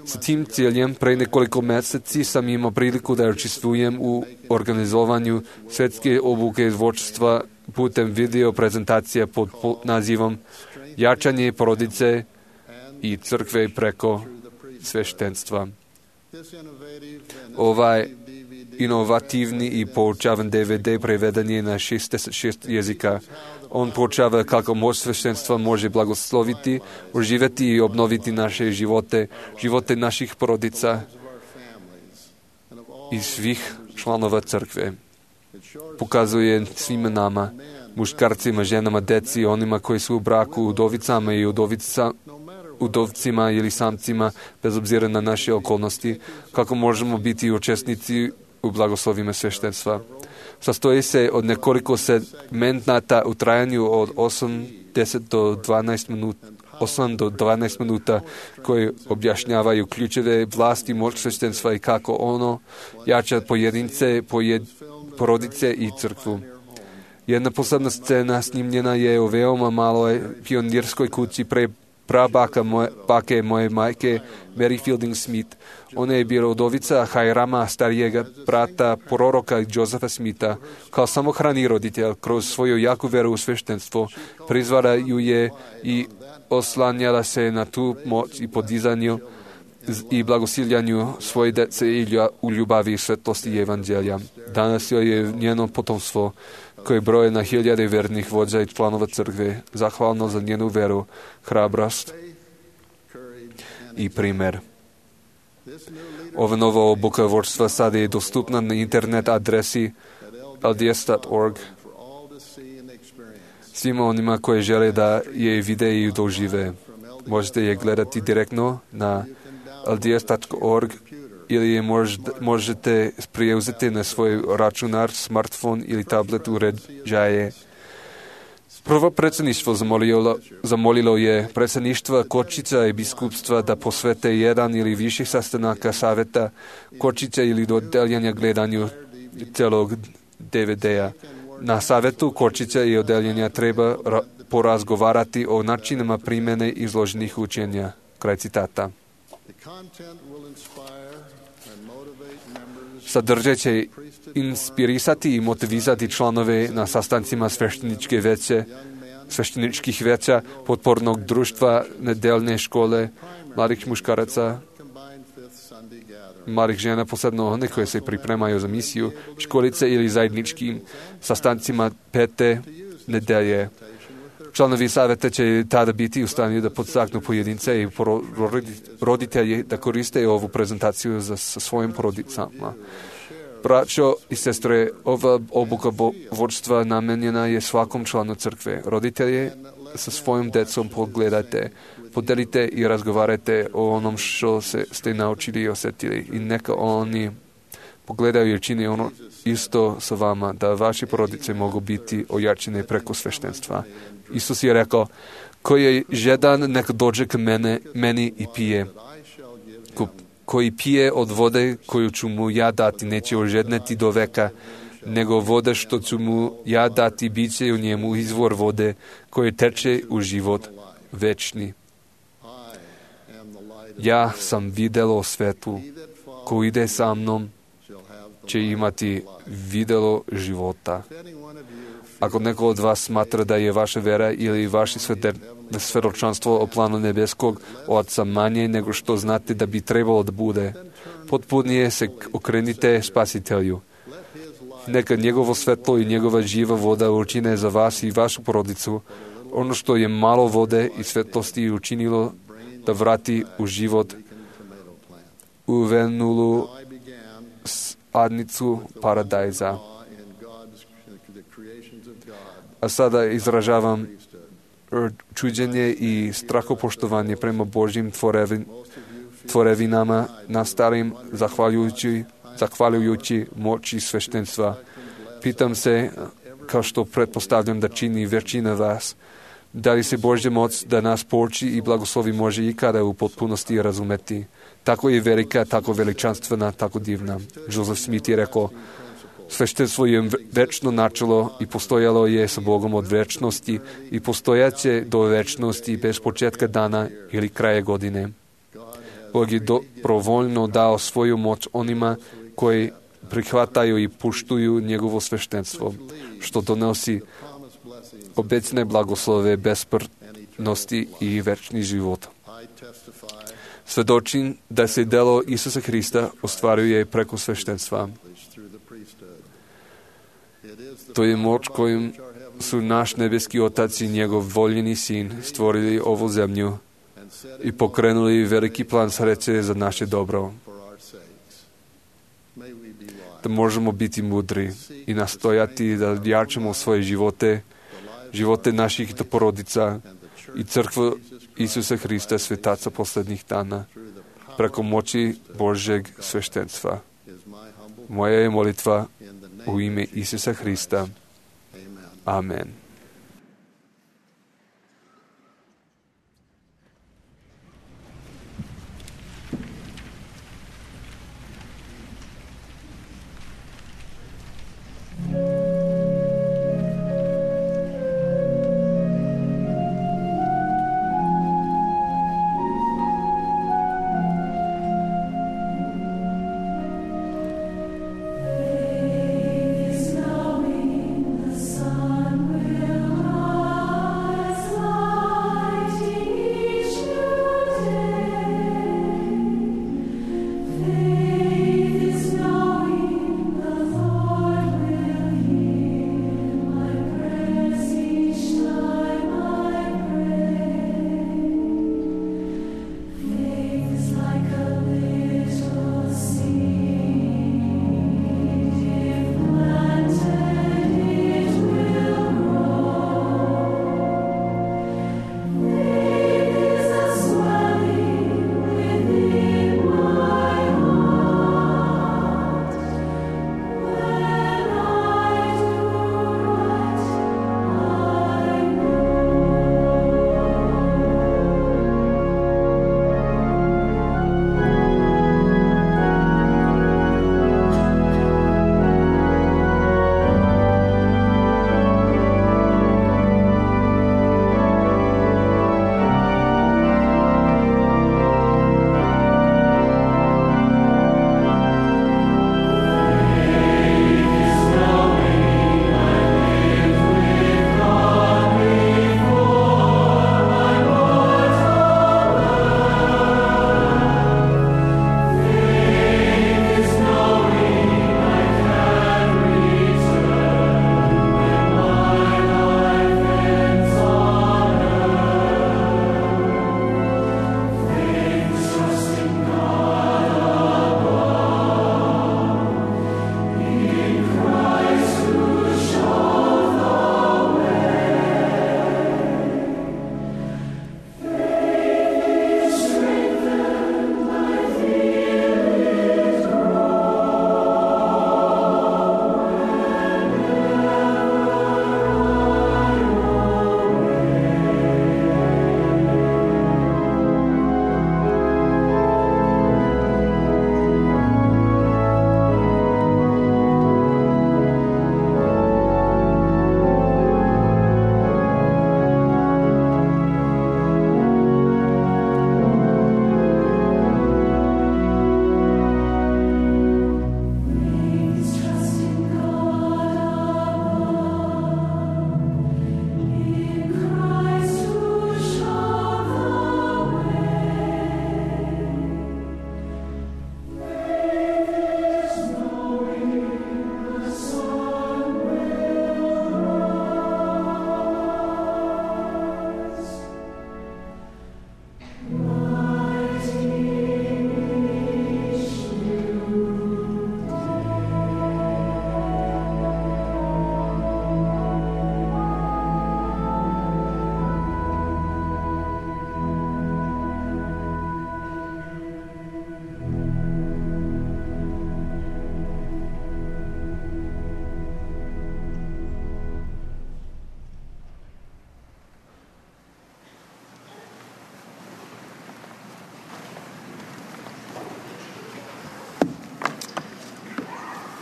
Sa tim ciljem, pre nekoliko meseci sam imao priliku da učestvujem u organizovanju svetske obuke vođstva putem video prezentacije pod nazivom Jačanje porodice i crkve preko sveštenstva. Ovaj inovativni i poučavan DVD preveden je na 66 jezika. On poučava kako moć sveštenstva može blagosloviti, oživjeti i obnoviti naše živote naših porodica i svih članova crkve. Pokazuje svima nama, muškarcima, ženama, deci, onima koji su u braku, udovicama i udovcima ili samcima, bez obzira na naše okolnosti, kako možemo biti učesnici u blagoslovima sveštenstva. Sastoji se od nekoliko segmenata u trajanju od 8 do 12 minuta koji objašnjavaju ključeve vlasti moć sveštenstva i kako ono jača pojedince, porodice i crkvu. Jedna posebna scena snimljena je u veoma maloj pionirskoj kući prabake moje majke, Mary Fielding Smith. Ona je bila udovica Hajrama, starijega brata proroka Josefa Smitha. Kao samohrani roditelj, kroz svoju jaku veru u sveštenstvo, prizvala ju je i oslanjala se na tu moć i podizanju i blagosiljanju svoje dece i u ljubavi i svetlosti evanđelja. Danas joj je njeno potomstvo, koje broje na hiljade vernih vođa i članova crkve, zahvalno za njenu veru, hrabrost i primer. Ova nova obuka vođstva sada je dostupna na internet adresi lds.org. Svima onima koji žele da je vide i dožive. Možete je gledati direktno na lds.org ili je možete preuzeti na svoj računar, smartfon ili tablet uređaje. Prvo predsjedništvo zamolilo je predsjedništva Kočica i biskupstva da posvete jedan ili više sastanaka savjeta Kočica ili odeljenja gledanju celog DVD-a. Na savjetu Kočica i odeljenja treba porazgovarati o načinima primjene izloženih učenja. Kraj citata. Sadržaj će inspirisati i motivisati članove na sastancima svešteničkih veća, potpornog društva, nedeljne škole, mladih muškaraca, mladih žena, posebno one koje se pripremaju za misiju, školice ili zajedničkim sastancima pete nedelje. Članovi savjeta će tada biti u stanju da podstaknu pojedince i roditelji da koriste ovu prezentaciju sa svojim porodicama. Braćo i sestre, ova obuka vodstva namenjena je svakom članu crkve. Roditelje sa svojim decom pogledajte, podelite i razgovarajte o onom što ste naučili i osjetili. I neka oni pogledaju i čini ono isto sa vama, da vaše porodice mogu biti ojačene preko sveštenstva. Isus je rekao, ko je žedan, neka dođe k meni i pije. Koji pije od vode koju ću mu ja dati, neće ožedneti do veka, nego voda što ću mu ja dati, bit će u njemu izvor vode koji teče u život večni. Ja sam videlo svetu, ko ide sa mnom, će imati videlo života. Ako neko od vas smatra da je vaša vera ili vaše svedočanstvo o planu nebeskog Oca manje nego što znate da bi trebalo da bude, potpunije se okrenite Spasitelju. Neka njegovo svetlo i njegova živa voda učine za vas i vašu porodicu ono što je malo vode i svetlosti učinilo da vrati u život uvenulu adnicu paradajza. A sada izražavam čuđenje i strahopoštovanje prema Božjim tvorevinama na starim, zahvaljujući moći sveštenstva. Pitam se, kao što pretpostavljam da čini većina vas, da li se Božja moć da nas pouči i blagoslovi može ikada u potpunosti razumeti. Tako je velika, tako veličanstvena, tako divna. Joseph Smith je rekao, sveštenstvo je večno načelo i postojalo je sa Bogom od večnosti i postojaće do večnosti bez početka dana ili kraja godine. Bog je dobrovoljno dao svoju moć onima koji prihvataju i puštuju njegovo sveštenstvo, što donosi obećane blagoslove, besmrtnosti i večni život. Svedočim da se delo Isusa Hrista ostvaruje preko sveštenstva. To je moć kojim su naš nebeski Otac i njegov voljeni Sin stvorili ovu zemlju i pokrenuli veliki plan sreće za naše dobro. Da možemo biti mudri i nastojati da jačamo svoje živote naših porodica i crkvu Isusa Hrista, svetaca posljednjih dana, preko moći Božjeg sveštenstva. Moja je molitva u ime Isusa Hrista. Amen. Is knowing the sun will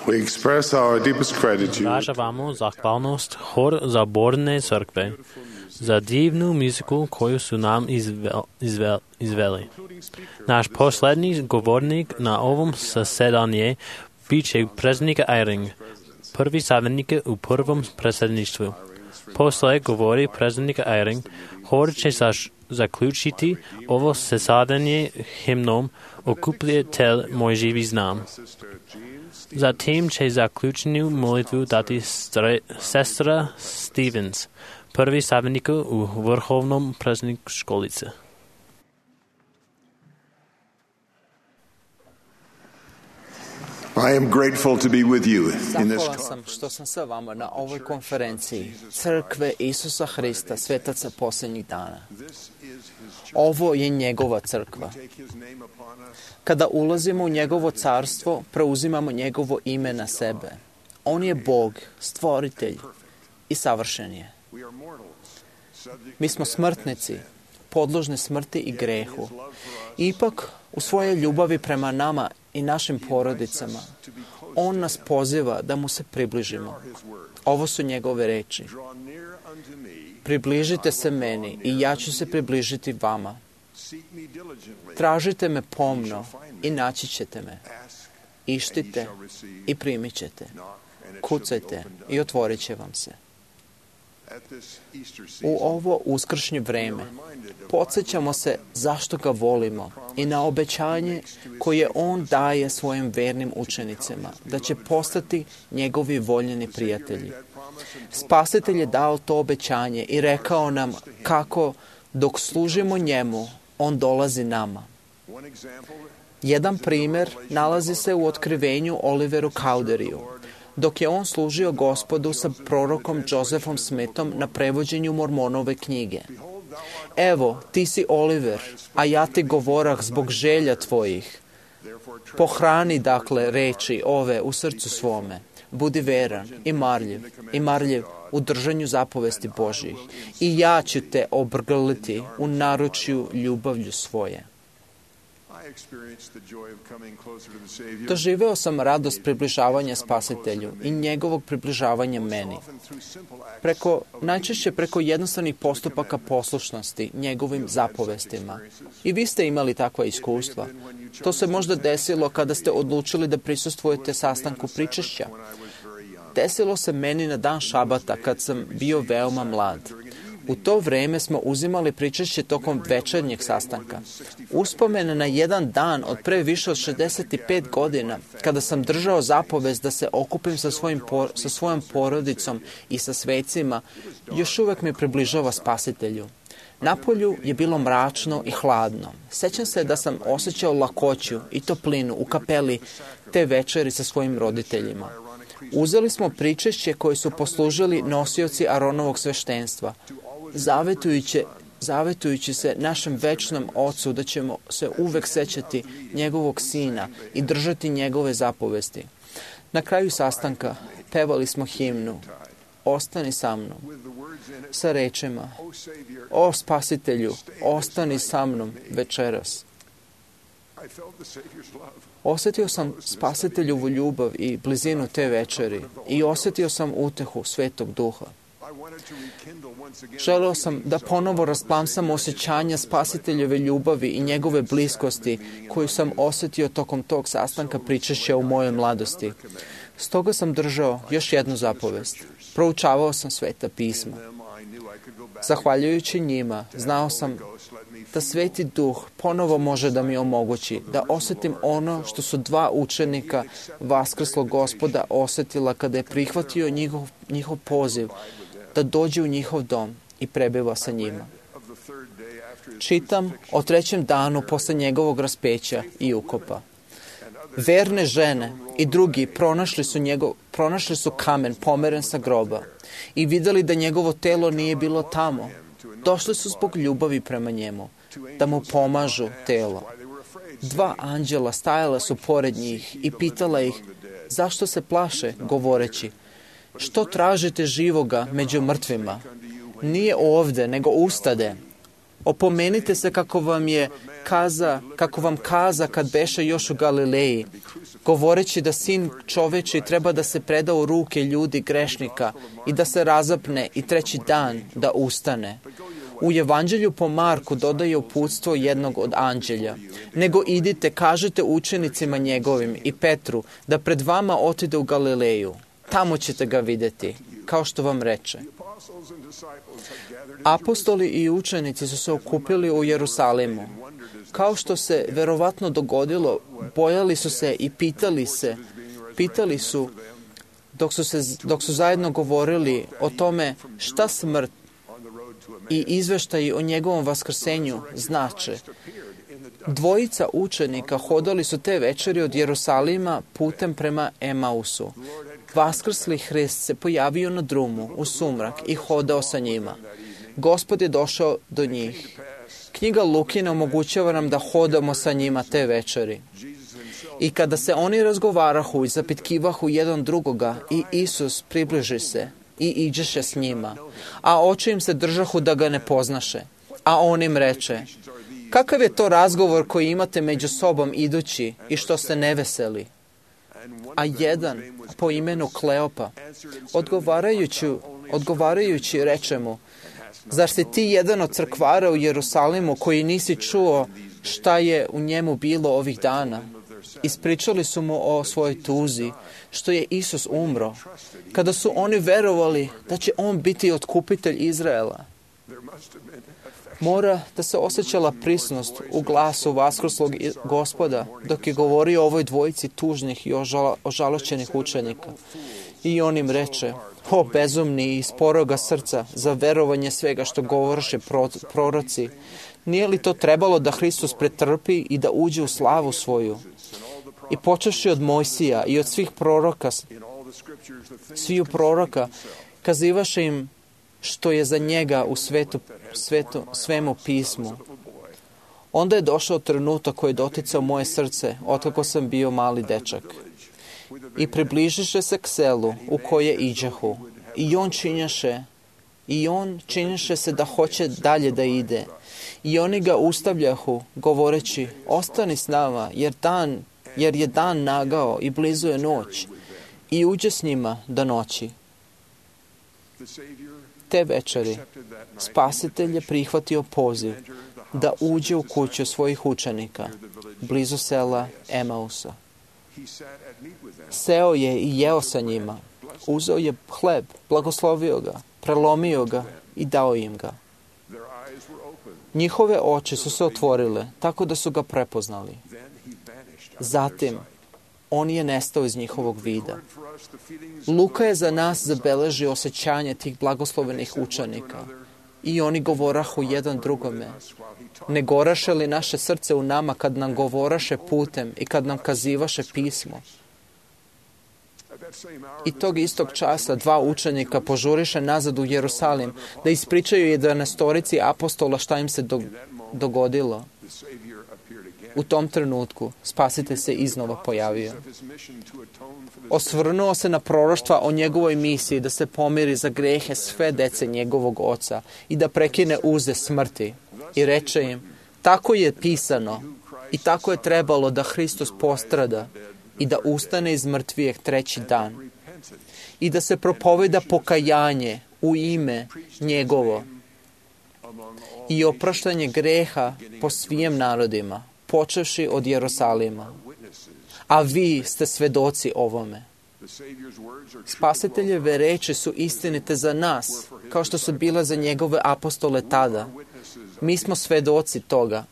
We express our deepest gratitude Izražavamo zahvalnost Hor zaborne crkve za divnu muziku koju su nam izveli. Naš poslednji govornik na ovom zasedanju bit će predsjednik Eyring, prvi savjetnik u prvom predsjedništvu. Posle govori predsjednik Eyring, Hor će zaključiti ovo zasedanje himnom Okupitelj moj živi znam. Zatim će zaključenu molitvu dati sestra Stevens, prvi savjetnik u vrhovnom predsjedniku školice. I am grateful to be with you in this Zahvalan sam što sam sa vama na ovoj konferenciji Crkve Isusa Hrista, svetaca posljednjih dana. Ovo je njegova crkva. Kada ulazimo u njegovo carstvo, preuzimamo njegovo ime na sebe. On je Bog, stvoritelj i savršen je. Mi smo smrtnici, podložni smrti i grehu. Ipak, u svojoj ljubavi prema nama i našim porodicama, on nas poziva da mu se približimo. Ovo su njegove reči. Približite se meni i ja ću se približiti vama. Tražite me pomno i naći ćete me. Ištite i primit ćete. Kucajte i otvorit će vam se. U ovo uskršnje vreme podsjećamo se zašto ga volimo i na obećanje koje on daje svojim vernim učenicima, da će postati njegovi voljeni prijatelji. Spasitelj je dao to obećanje i rekao nam kako dok služimo njemu, on dolazi nama. Jedan primjer nalazi se u otkrivenju Oliveru Cowderiju. Dok je on služio Gospodu sa prorokom Josephom Smithom na prevođenju Mormonove knjige. Evo, ti si Oliver, a ja ti govorah zbog želja tvojih. Pohrani, dakle, reči ove u srcu svome. Budi veran i marljiv u držanju zapovesti Božjih. I ja ću te obrgliti u naručju ljubavlju svoje. Doživeo sam radost približavanja Spasitelju i njegovog približavanja meni. Najčešće preko jednostavnih postupaka poslušnosti njegovim zapovestima. I vi ste imali takva iskustva. To se možda desilo kada ste odlučili da prisustvujete sastanku pričešća. Desilo se meni na dan Šabata kad sam bio veoma mlad. U to vreme smo uzimali pričešće tokom večernjeg sastanka. Uspomen na jedan dan od pre više od 65 godina, kada sam držao zapovest da se okupim sa svojom porodicom i sa svecima, još uvek me približava Spasitelju. Napolju je bilo mračno i hladno. Sećam se da sam osjećao lakoću i toplinu u kapeli te večeri sa svojim roditeljima. Uzeli smo pričešće koje su poslužili nosioci Aronovog sveštenstva, zavetujući se našem večnom Ocu da ćemo se uvek sećati njegovog Sina i držati njegove zapovesti. Na kraju sastanka pevali smo himnu Ostani sa mnom, sa rečima O Spasitelju, ostani sa mnom večeras. Osjetio sam Spasiteljovu ljubav i blizinu te večeri i osjetio sam utehu Svetog Duha. Želeo sam da ponovo rasplamsam osjećanja Spasiteljove ljubavi i njegove bliskosti koju sam osjetio tokom tog sastanka pričešća u mojoj mladosti. Stoga sam držao još jednu zapovest. Proučavao sam Sveta pisma. Zahvaljujući njima, znao sam da Sveti Duh ponovo može da mi omogući da osjetim ono što su dva učenika vaskrslog Gospoda osjetila kada je prihvatio njihov poziv da dođe u njihov dom i prebiva sa njima. Čitam o 3. danu posle njegovog raspeća i ukopa. Verne žene i drugi pronašli su kamen pomeren sa groba i videli da njegovo telo nije bilo tamo. Došli su zbog ljubavi prema njemu, da mu pomažu telo. 2 anđela stajala su pored njih i pitala ih zašto se plaše, govoreći što tražite živoga među mrtvima? Nije ovde, nego ustade. Opomenite se kako vam kaza kad beše još u Galileji, govoreći da sin čoveči treba da se preda u ruke ljudi grešnika i da se razapne i treći dan da ustane. U Evanđelju po Marku dodaje uputstvo jednog od anđelja. Nego idite, kažete učenicima njegovim i Petru da pred vama otide u Galileju. Tamo ćete ga vidjeti, kao što vam reče. Apostoli i učenici su se okupili u Jerusalimu. Kao što se verovatno dogodilo, bojali su se i pitali su dok su zajedno govorili o tome šta smrt i izveštaji o njegovom vaskrsenju znače. Dvojica učenika hodali su te večeri od Jerusalima putem prema Emausu. Vaskrsli Hrist se pojavio na drumu u sumrak i hodao sa njima. Gospod je došao do njih. Knjiga Lukina omogućava nam da hodamo sa njima te večeri. I kada se oni razgovarahu i zapitkivahu jedan drugoga, i Isus približi se i iđeše s njima, a oči im se držahu da ga ne poznaše. A on im reče, kakav je to razgovor koji imate među sobom idući i što ste neveseli? A jedan, po imenu Kleopa, odgovarajući reče mu, zar si ti jedan od crkvara u Jerusalimu koji nisi čuo šta je u njemu bilo ovih dana? Ispričali su mu o svojoj tuzi, što je Isus umro, kada su oni verovali da će on biti otkupitelj Izraela. Mora da se osjećala prisnost u glasu vaskrslog Gospoda dok je govorio o ovoj dvojici tužnih i ožalošćenih učenika. I on im reče, o bezumni i sporoga srca za verovanje svega što govoriše proroci, nije li to trebalo da Hristos pretrpi i da uđe u slavu svoju? I počevši od Mojsija i od svih proroka, kazivaše im što je za njega u svemu pismu. Onda je došao trenutak koji je doticao moje srce, otkako sam bio mali dečak. I približiše se k selu u koje iđahu. I on činješe se da hoće dalje da ide. I oni ga ustavljahu, govoreći, ostani s nama, jer je dan nagao i blizu je noć. I uđe s njima do noći. Te večeri Spasitelj je prihvatio poziv da uđe u kuću svojih učenika, blizu sela Emausa. Seo je i jeo sa njima. Uzeo je hleb, blagoslovio ga, prelomio ga i dao im ga. Njihove oči su se otvorile, tako da su ga prepoznali. Zatim, on je nestao iz njihovog vida. Luka je za nas zabeležio osjećanje tih blagoslovenih učenika. I oni govorahu jedan drugome. Ne goraše li naše srce u nama kad nam govoraše putem i kad nam kazivaše pismo? I tog istog časa dva učenika požuriše nazad u Jerusalim da ispričaju 11 apostola šta im se dogodilo. U tom trenutku Spasitelj se iznova pojavio. Osvrnuo se na proroštva o njegovoj misiji da se pomiri za grehe sve dece njegovog oca i da prekine uze smrti. I reče im, tako je pisano i tako je trebalo da Hristos postrada i da ustane iz mrtvijeg treći dan i da se propoveda pokajanje u ime njegovo i opraštanje greha po svim narodima, počevši od Jerusalima. A vi ste svedoci ovome. Spasiteljeve reči su istinite za nas, kao što su bile za njegove apostole tada. Mi smo svedoci toga.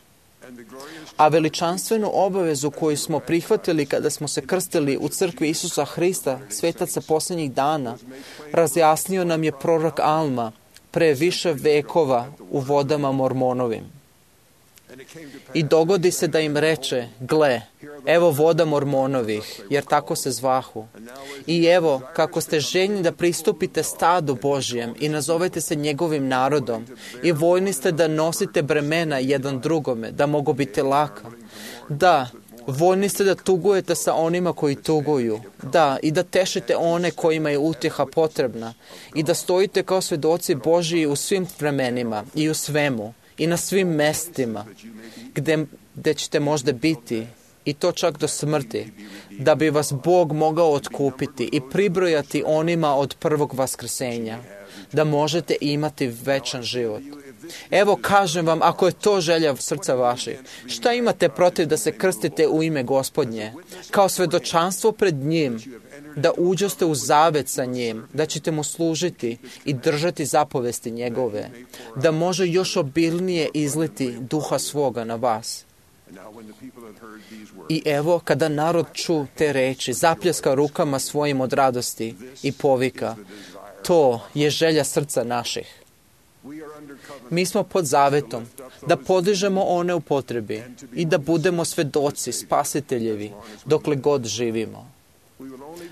A veličanstvenu obavezu koju smo prihvatili kada smo se krstili u crkvi Isusa Hrista, svetaca posljednjih dana, razjasnio nam je prorok Alma pre više vekova u vodama Mormonovim. I dogodi se da im reče, gle, evo voda Mormonovih, jer tako se zvahu. I evo, kako ste željni da pristupite stadu Božjem i nazovete se njegovim narodom i voljni ste da nosite bremena jedan drugome, da mogu biti laka. Da, voljni ste da tugujete sa onima koji tuguju. Da, i da tešite one kojima je utjeha potrebna. I da stojite kao svedoci Božji u svim vremenima i u svemu. i na svim mestima gde ćete možda biti, i to čak do smrti, da bi vas Bog mogao otkupiti i pribrojati onima od prvog vaskrsenja, da možete imati večan život. Evo, kažem vam, ako je to želja srca vaših, šta imate protiv da se krstite u ime Gospodnje, kao svedočanstvo pred njim, da uđoste u zavet sa njim, da ćete mu služiti i držati zapovesti njegove, da može još obilnije izliti duha svoga na vas. I evo, kada narod ču te reči, zapljeska rukama svojim od radosti i povika, to je želja srca naših. Mi smo pod zavetom da podižemo one u potrebi i da budemo svedoci spasiteljevi dokle god živimo.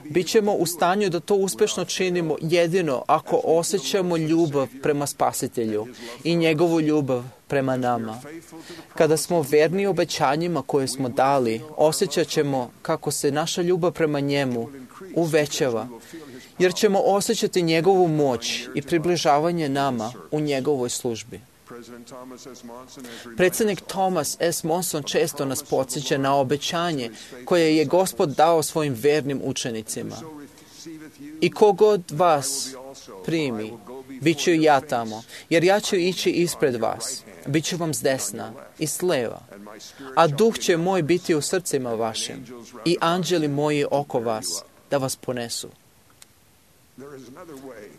Bićemo u stanju da to uspešno činimo jedino ako osjećamo ljubav prema Spasitelju i njegovu ljubav prema nama. Kada smo verni obećanjima koje smo dali, osjećat ćemo kako se naša ljubav prema njemu uvećava, jer ćemo osjećati njegovu moć i približavanje nama u njegovoj službi. Predsednik Thomas S. Monson često nas podsjeća na obećanje koje je Gospod dao svojim vernim učenicima. I kogod vas primi, bit ću i ja tamo, jer ja ću ići ispred vas, bit ću vam s desna i s leva, a duh će moj biti u srcima vašim i anđeli moji oko vas da vas ponesu.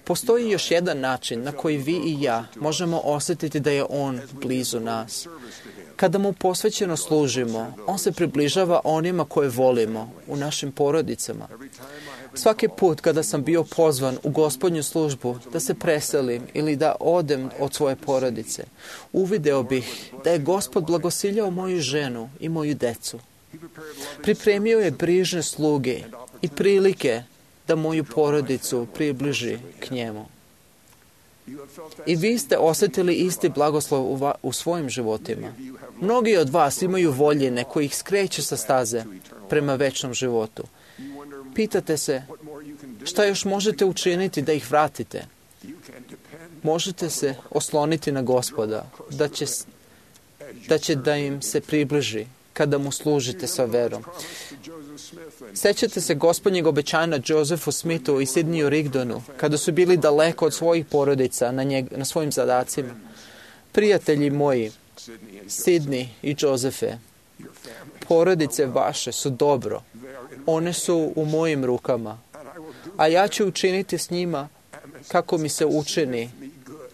Postoji još jedan način na koji vi i ja možemo osjetiti da je On blizu nas. Kada mu posvećeno služimo, On se približava onima koje volimo u našim porodicama. Svaki put kada sam bio pozvan u Gospodnju službu da se preselim ili da odem od svoje porodice, uvideo bih da je Gospod blagosiljao moju ženu i moju decu. Pripremio je brižne sluge i prilike da moju porodicu približi k njemu. I vi ste osjetili isti blagoslov u svojim životima. Mnogi od vas imaju voljene koji ih skreću sa staze prema večnom životu. Pitate se, šta još možete učiniti da ih vratite? Možete se osloniti na Gospoda, da će da im se približi kada mu služite sa verom. Sećate se Gospodnjeg obećanja Josephu Smithu i Sidneyu Rigdonu, kada su bili daleko od svojih porodica na svojim zadacima. Prijatelji moji, Sidney i Josefe, porodice vaše su dobro. One su u mojim rukama, a ja ću učiniti s njima kako mi se učini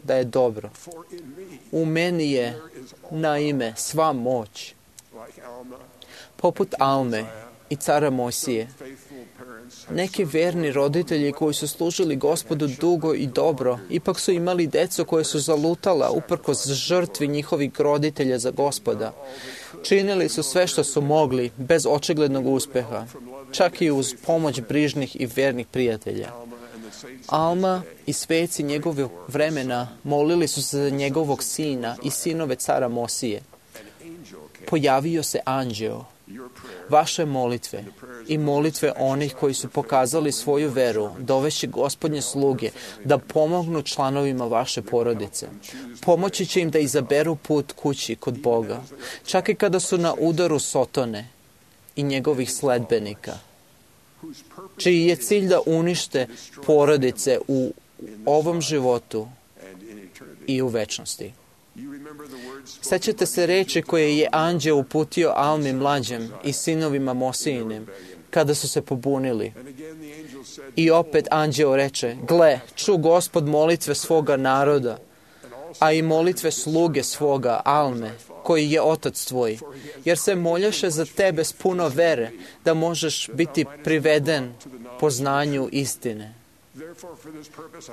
da je dobro. U meni je, naime, sva moć. Poput Alme i cara Mojsije, neki verni roditelji koji su služili Gospodu dugo i dobro, ipak su imali decu koje su zalutala uprkos žrtvi njihovih roditelja za Gospoda. Činili su sve što su mogli, bez očiglednog uspeha, čak i uz pomoć brižnih i vernih prijatelja. Alma i sveci njegovog vremena molili su se za njegovog sina i sinove cara Mosije. Pojavio se anđeo. Vaše molitve i molitve onih koji su pokazali svoju veru dovešće Gospodnje sluge da pomognu članovima vaše porodice. Pomoći će im da izaberu put kući kod Boga, čak i kada su na udaru Sotone i njegovih sledbenika, čiji je cilj da unište porodice u ovom životu i u večnosti. Sećate se reči koje je anđeo uputio Almi mlađem i sinovima Mosijinim kada su se pobunili. I opet anđeo reče, gle, ču Gospod molitve svoga naroda, a i molitve sluge svoga Alme, koji je otac tvoj, jer se moljaše za tebe s puno vere, da možeš biti priveden poznanju istine.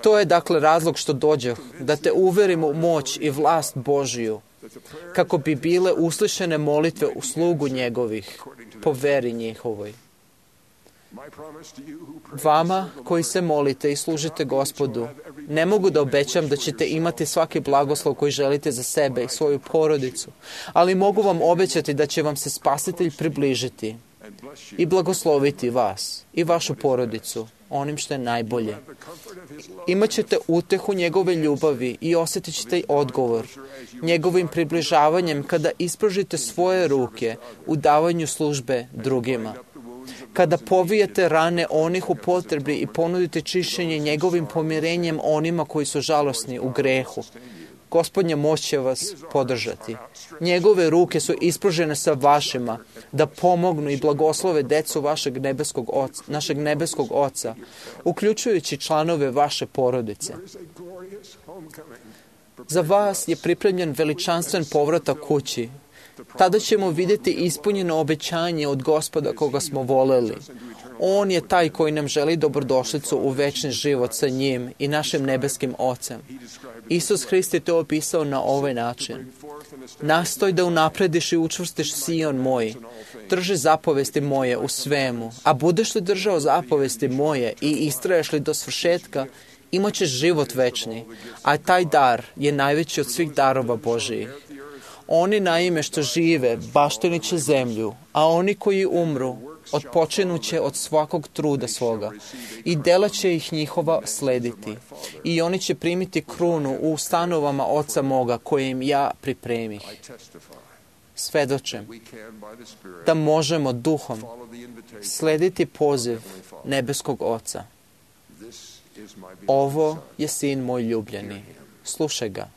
To je dakle razlog što dođeh, da te uverim u moć i vlast Božiju, kako bi bile uslišene molitve u slugu njegovih, po veri njihovoj. Vama koji se molite i služite Gospodu, ne mogu da obećam da ćete imati svaki blagoslov koji želite za sebe i svoju porodicu, ali mogu vam obećati da će vam se Spasitelj približiti i blagosloviti vas i vašu porodicu onim što je najbolje. Imaćete utehu njegove ljubavi i osjetit ćete odgovor njegovim približavanjem kada ispružite svoje ruke u davanju službe drugima. Kada povijete rane onih u potrebi i ponudite čišćenje njegovim pomirenjem onima koji su žalosni u grehu. Gospodnja moć će vas podržati. Njegove ruke su ispružene sa vašima da pomognu i blagoslove decu našeg nebeskog Oca, uključujući članove vaše porodice. Za vas je pripremljen veličanstven povratak kući. Tada ćemo vidjeti ispunjeno obećanje od Gospoda koga smo voleli. On je taj koji nam želi dobrodošlicu u večni život sa njim i našim nebeskim Ocem. Isus Hrist je to opisao na ovaj način. Nastoj da unaprediš i učvrstiš Sion moj. Drži zapovesti moje u svemu. A budeš li držao zapovesti moje i istraješ li do svršetka, imat ćeš život večni. A taj dar je najveći od svih darova Božijih. Oni naime što žive baštenit će zemlju, a oni koji umru odpočinuće od svakog truda svoga i dela će ih njihova slediti. I oni će primiti krunu u stanovama Oca moga koje im ja pripremih. Svedočem da možemo duhom slediti poziv nebeskog Oca. Ovo je sin moj ljubljeni. Slušaj ga.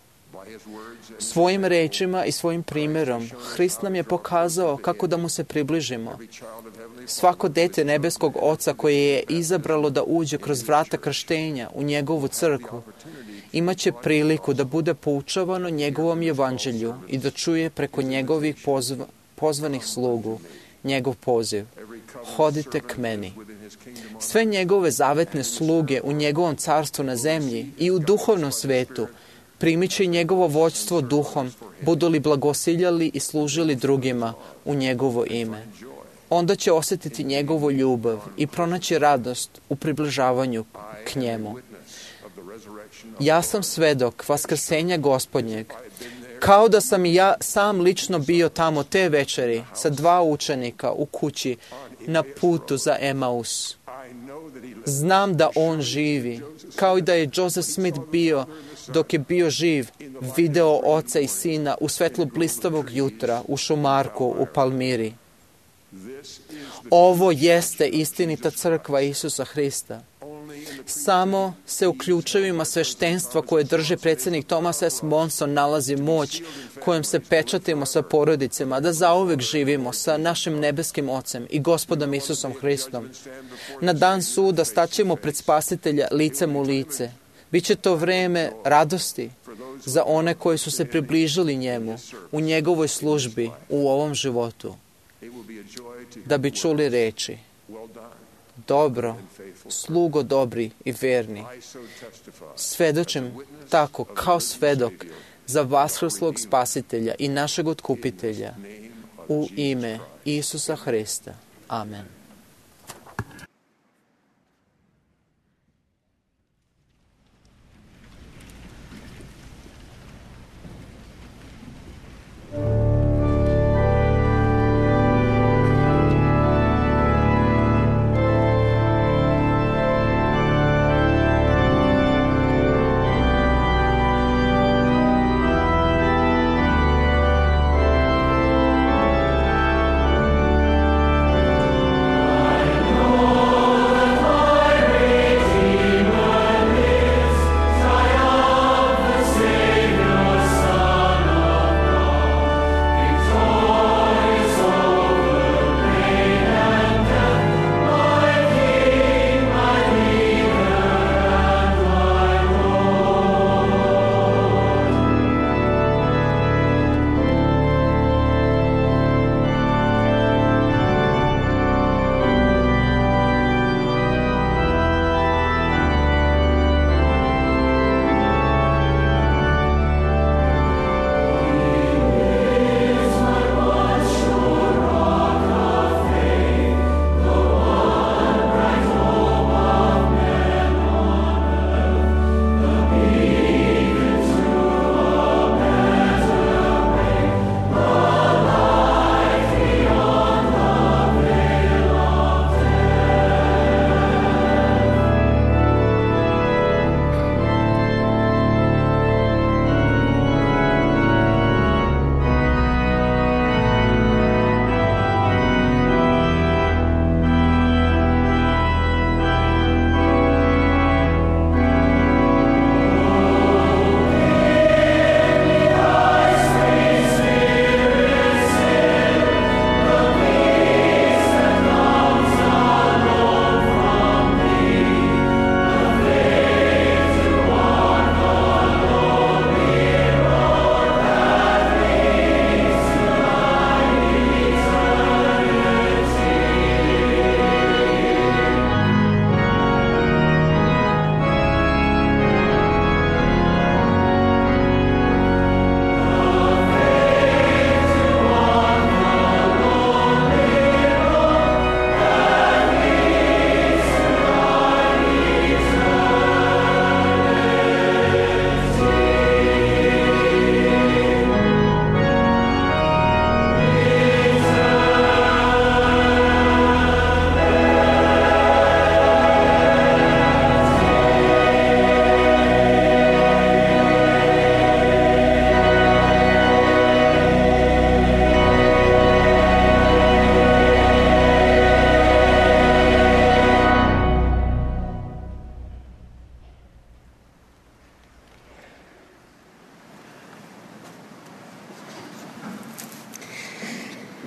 Svojim rečima i svojim primjerom Hrist nam je pokazao kako da mu se približimo. Svako dete nebeskog Oca koje je izabralo da uđe kroz vrata krštenja u njegovu crkvu imaće priliku da bude poučavano njegovom evanđelju i da čuje preko njegovih pozvanih slugu njegov poziv. Hodite k meni. Sve njegove zavetne sluge u njegovom carstvu na zemlji i u duhovnom svetu primit će njegovo vođstvo duhom, budu li blagosiljali i služili drugima u njegovo ime. Onda će osjetiti njegovu ljubav i pronaći radost u približavanju k njemu. Ja sam svedok vaskrsenja Gospodnjeg, kao da sam i ja sam lično bio tamo te večeri sa 2 učenika u kući na putu za Emaus. Znam da on živi, kao i da je Joseph Smith bio dok je bio živ, video Oca i Sina u svetlu blistavog jutra u šumarku u Palmiri. Ovo jeste istinita crkva Isusa Hrista. Samo se u ključevima sveštenstva koje drži predsjednik Thomas S. Monson nalazi moć kojom se pečatimo sa porodicama, da zauvek živimo sa našim nebeskim Ocem i Gospodom Isusom Hristom. Na dan suda staćemo pred Spasitelja licem u lice. Biće to vreme radosti za one koji su se približili njemu u njegovoj službi u ovom životu, da bi čuli reči: dobro, slugo dobri i verni. Svedočim tako kao svedok za vaskrslog Spasitelja i našeg Otkupitelja u ime Isusa Hrista. Amen.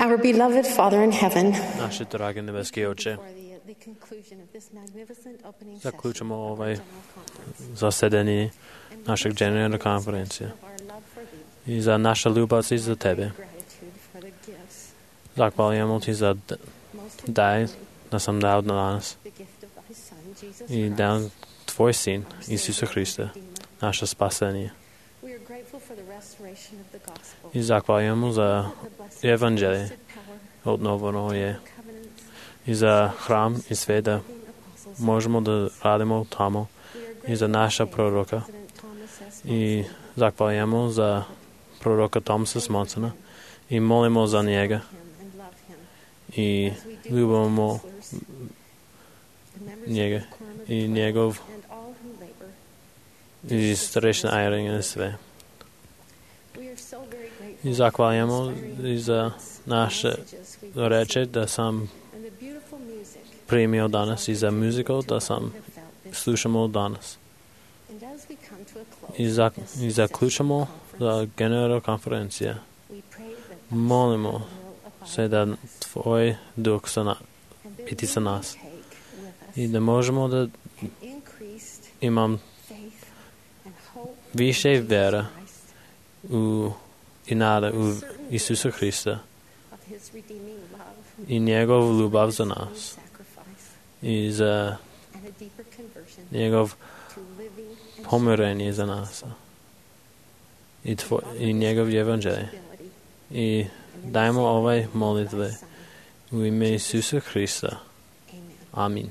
Our beloved Father in heaven, Naši dragi nebeski Oče, zaključamo ovaj zasedanje našeg generalne konferencije i za naša ljubav i za Tebe. Zahvaljujemo Ti za daj da sam dao danas i dan Tvoj Sin, Isusa Hrista, naše spasenje. I zahvaljujemo za evanđelje odnovano je i za hram i sve da možemo da radimo tamo i za naša proroka. I zahvaljujemo za proroka Thomasa Smansona i molimo za njega i ljubimo njega i njegov i starešna Irene i sve. I zahvaljujemo i za naše reče da sam primio danas i za muziku da sam slušamo danas. I zaključamo za generalna konferencija. Molimo se da Tvoj duh biti sa nas i da možemo da imam više vera i nada u Isusa Hrista i njegov ljubav za nas i za njegov pomirenje za nas i njegov evanđelje. I dajmo ovaj molitve u ime Isusa Hrista. Amin.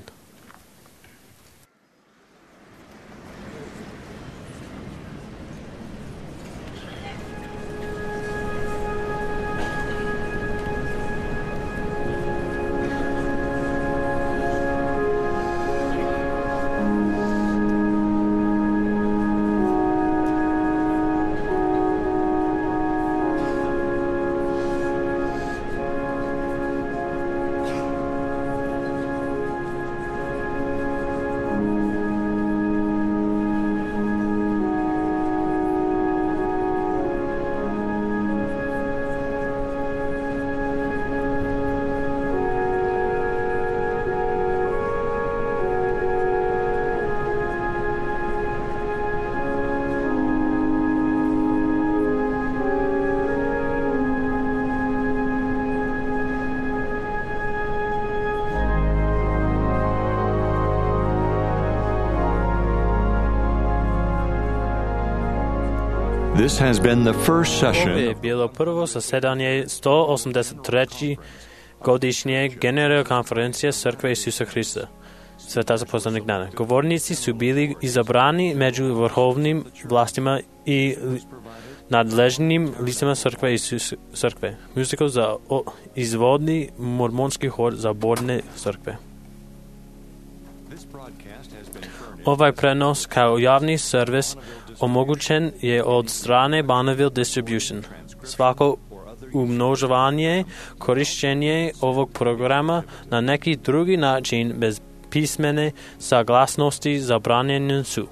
This has been the first session. Ovo je bilo prvo zasedanje 183. godišnje generalne konferencije Crkve Isusa Hrista, Sveta zaposlanik dana. Govornici su bili izabrani među vrhovnim vlastima i nadležnim licima Crkve. Muziku za izvodni mormonski hor za borne crkve. Ovaj prenos kao javni servis omogućen je od strane Bonneville Distribution. Svako umnožavanje, korišćenje ovog programa na neki drugi način bez pismene saglasnosti zabranjeni su.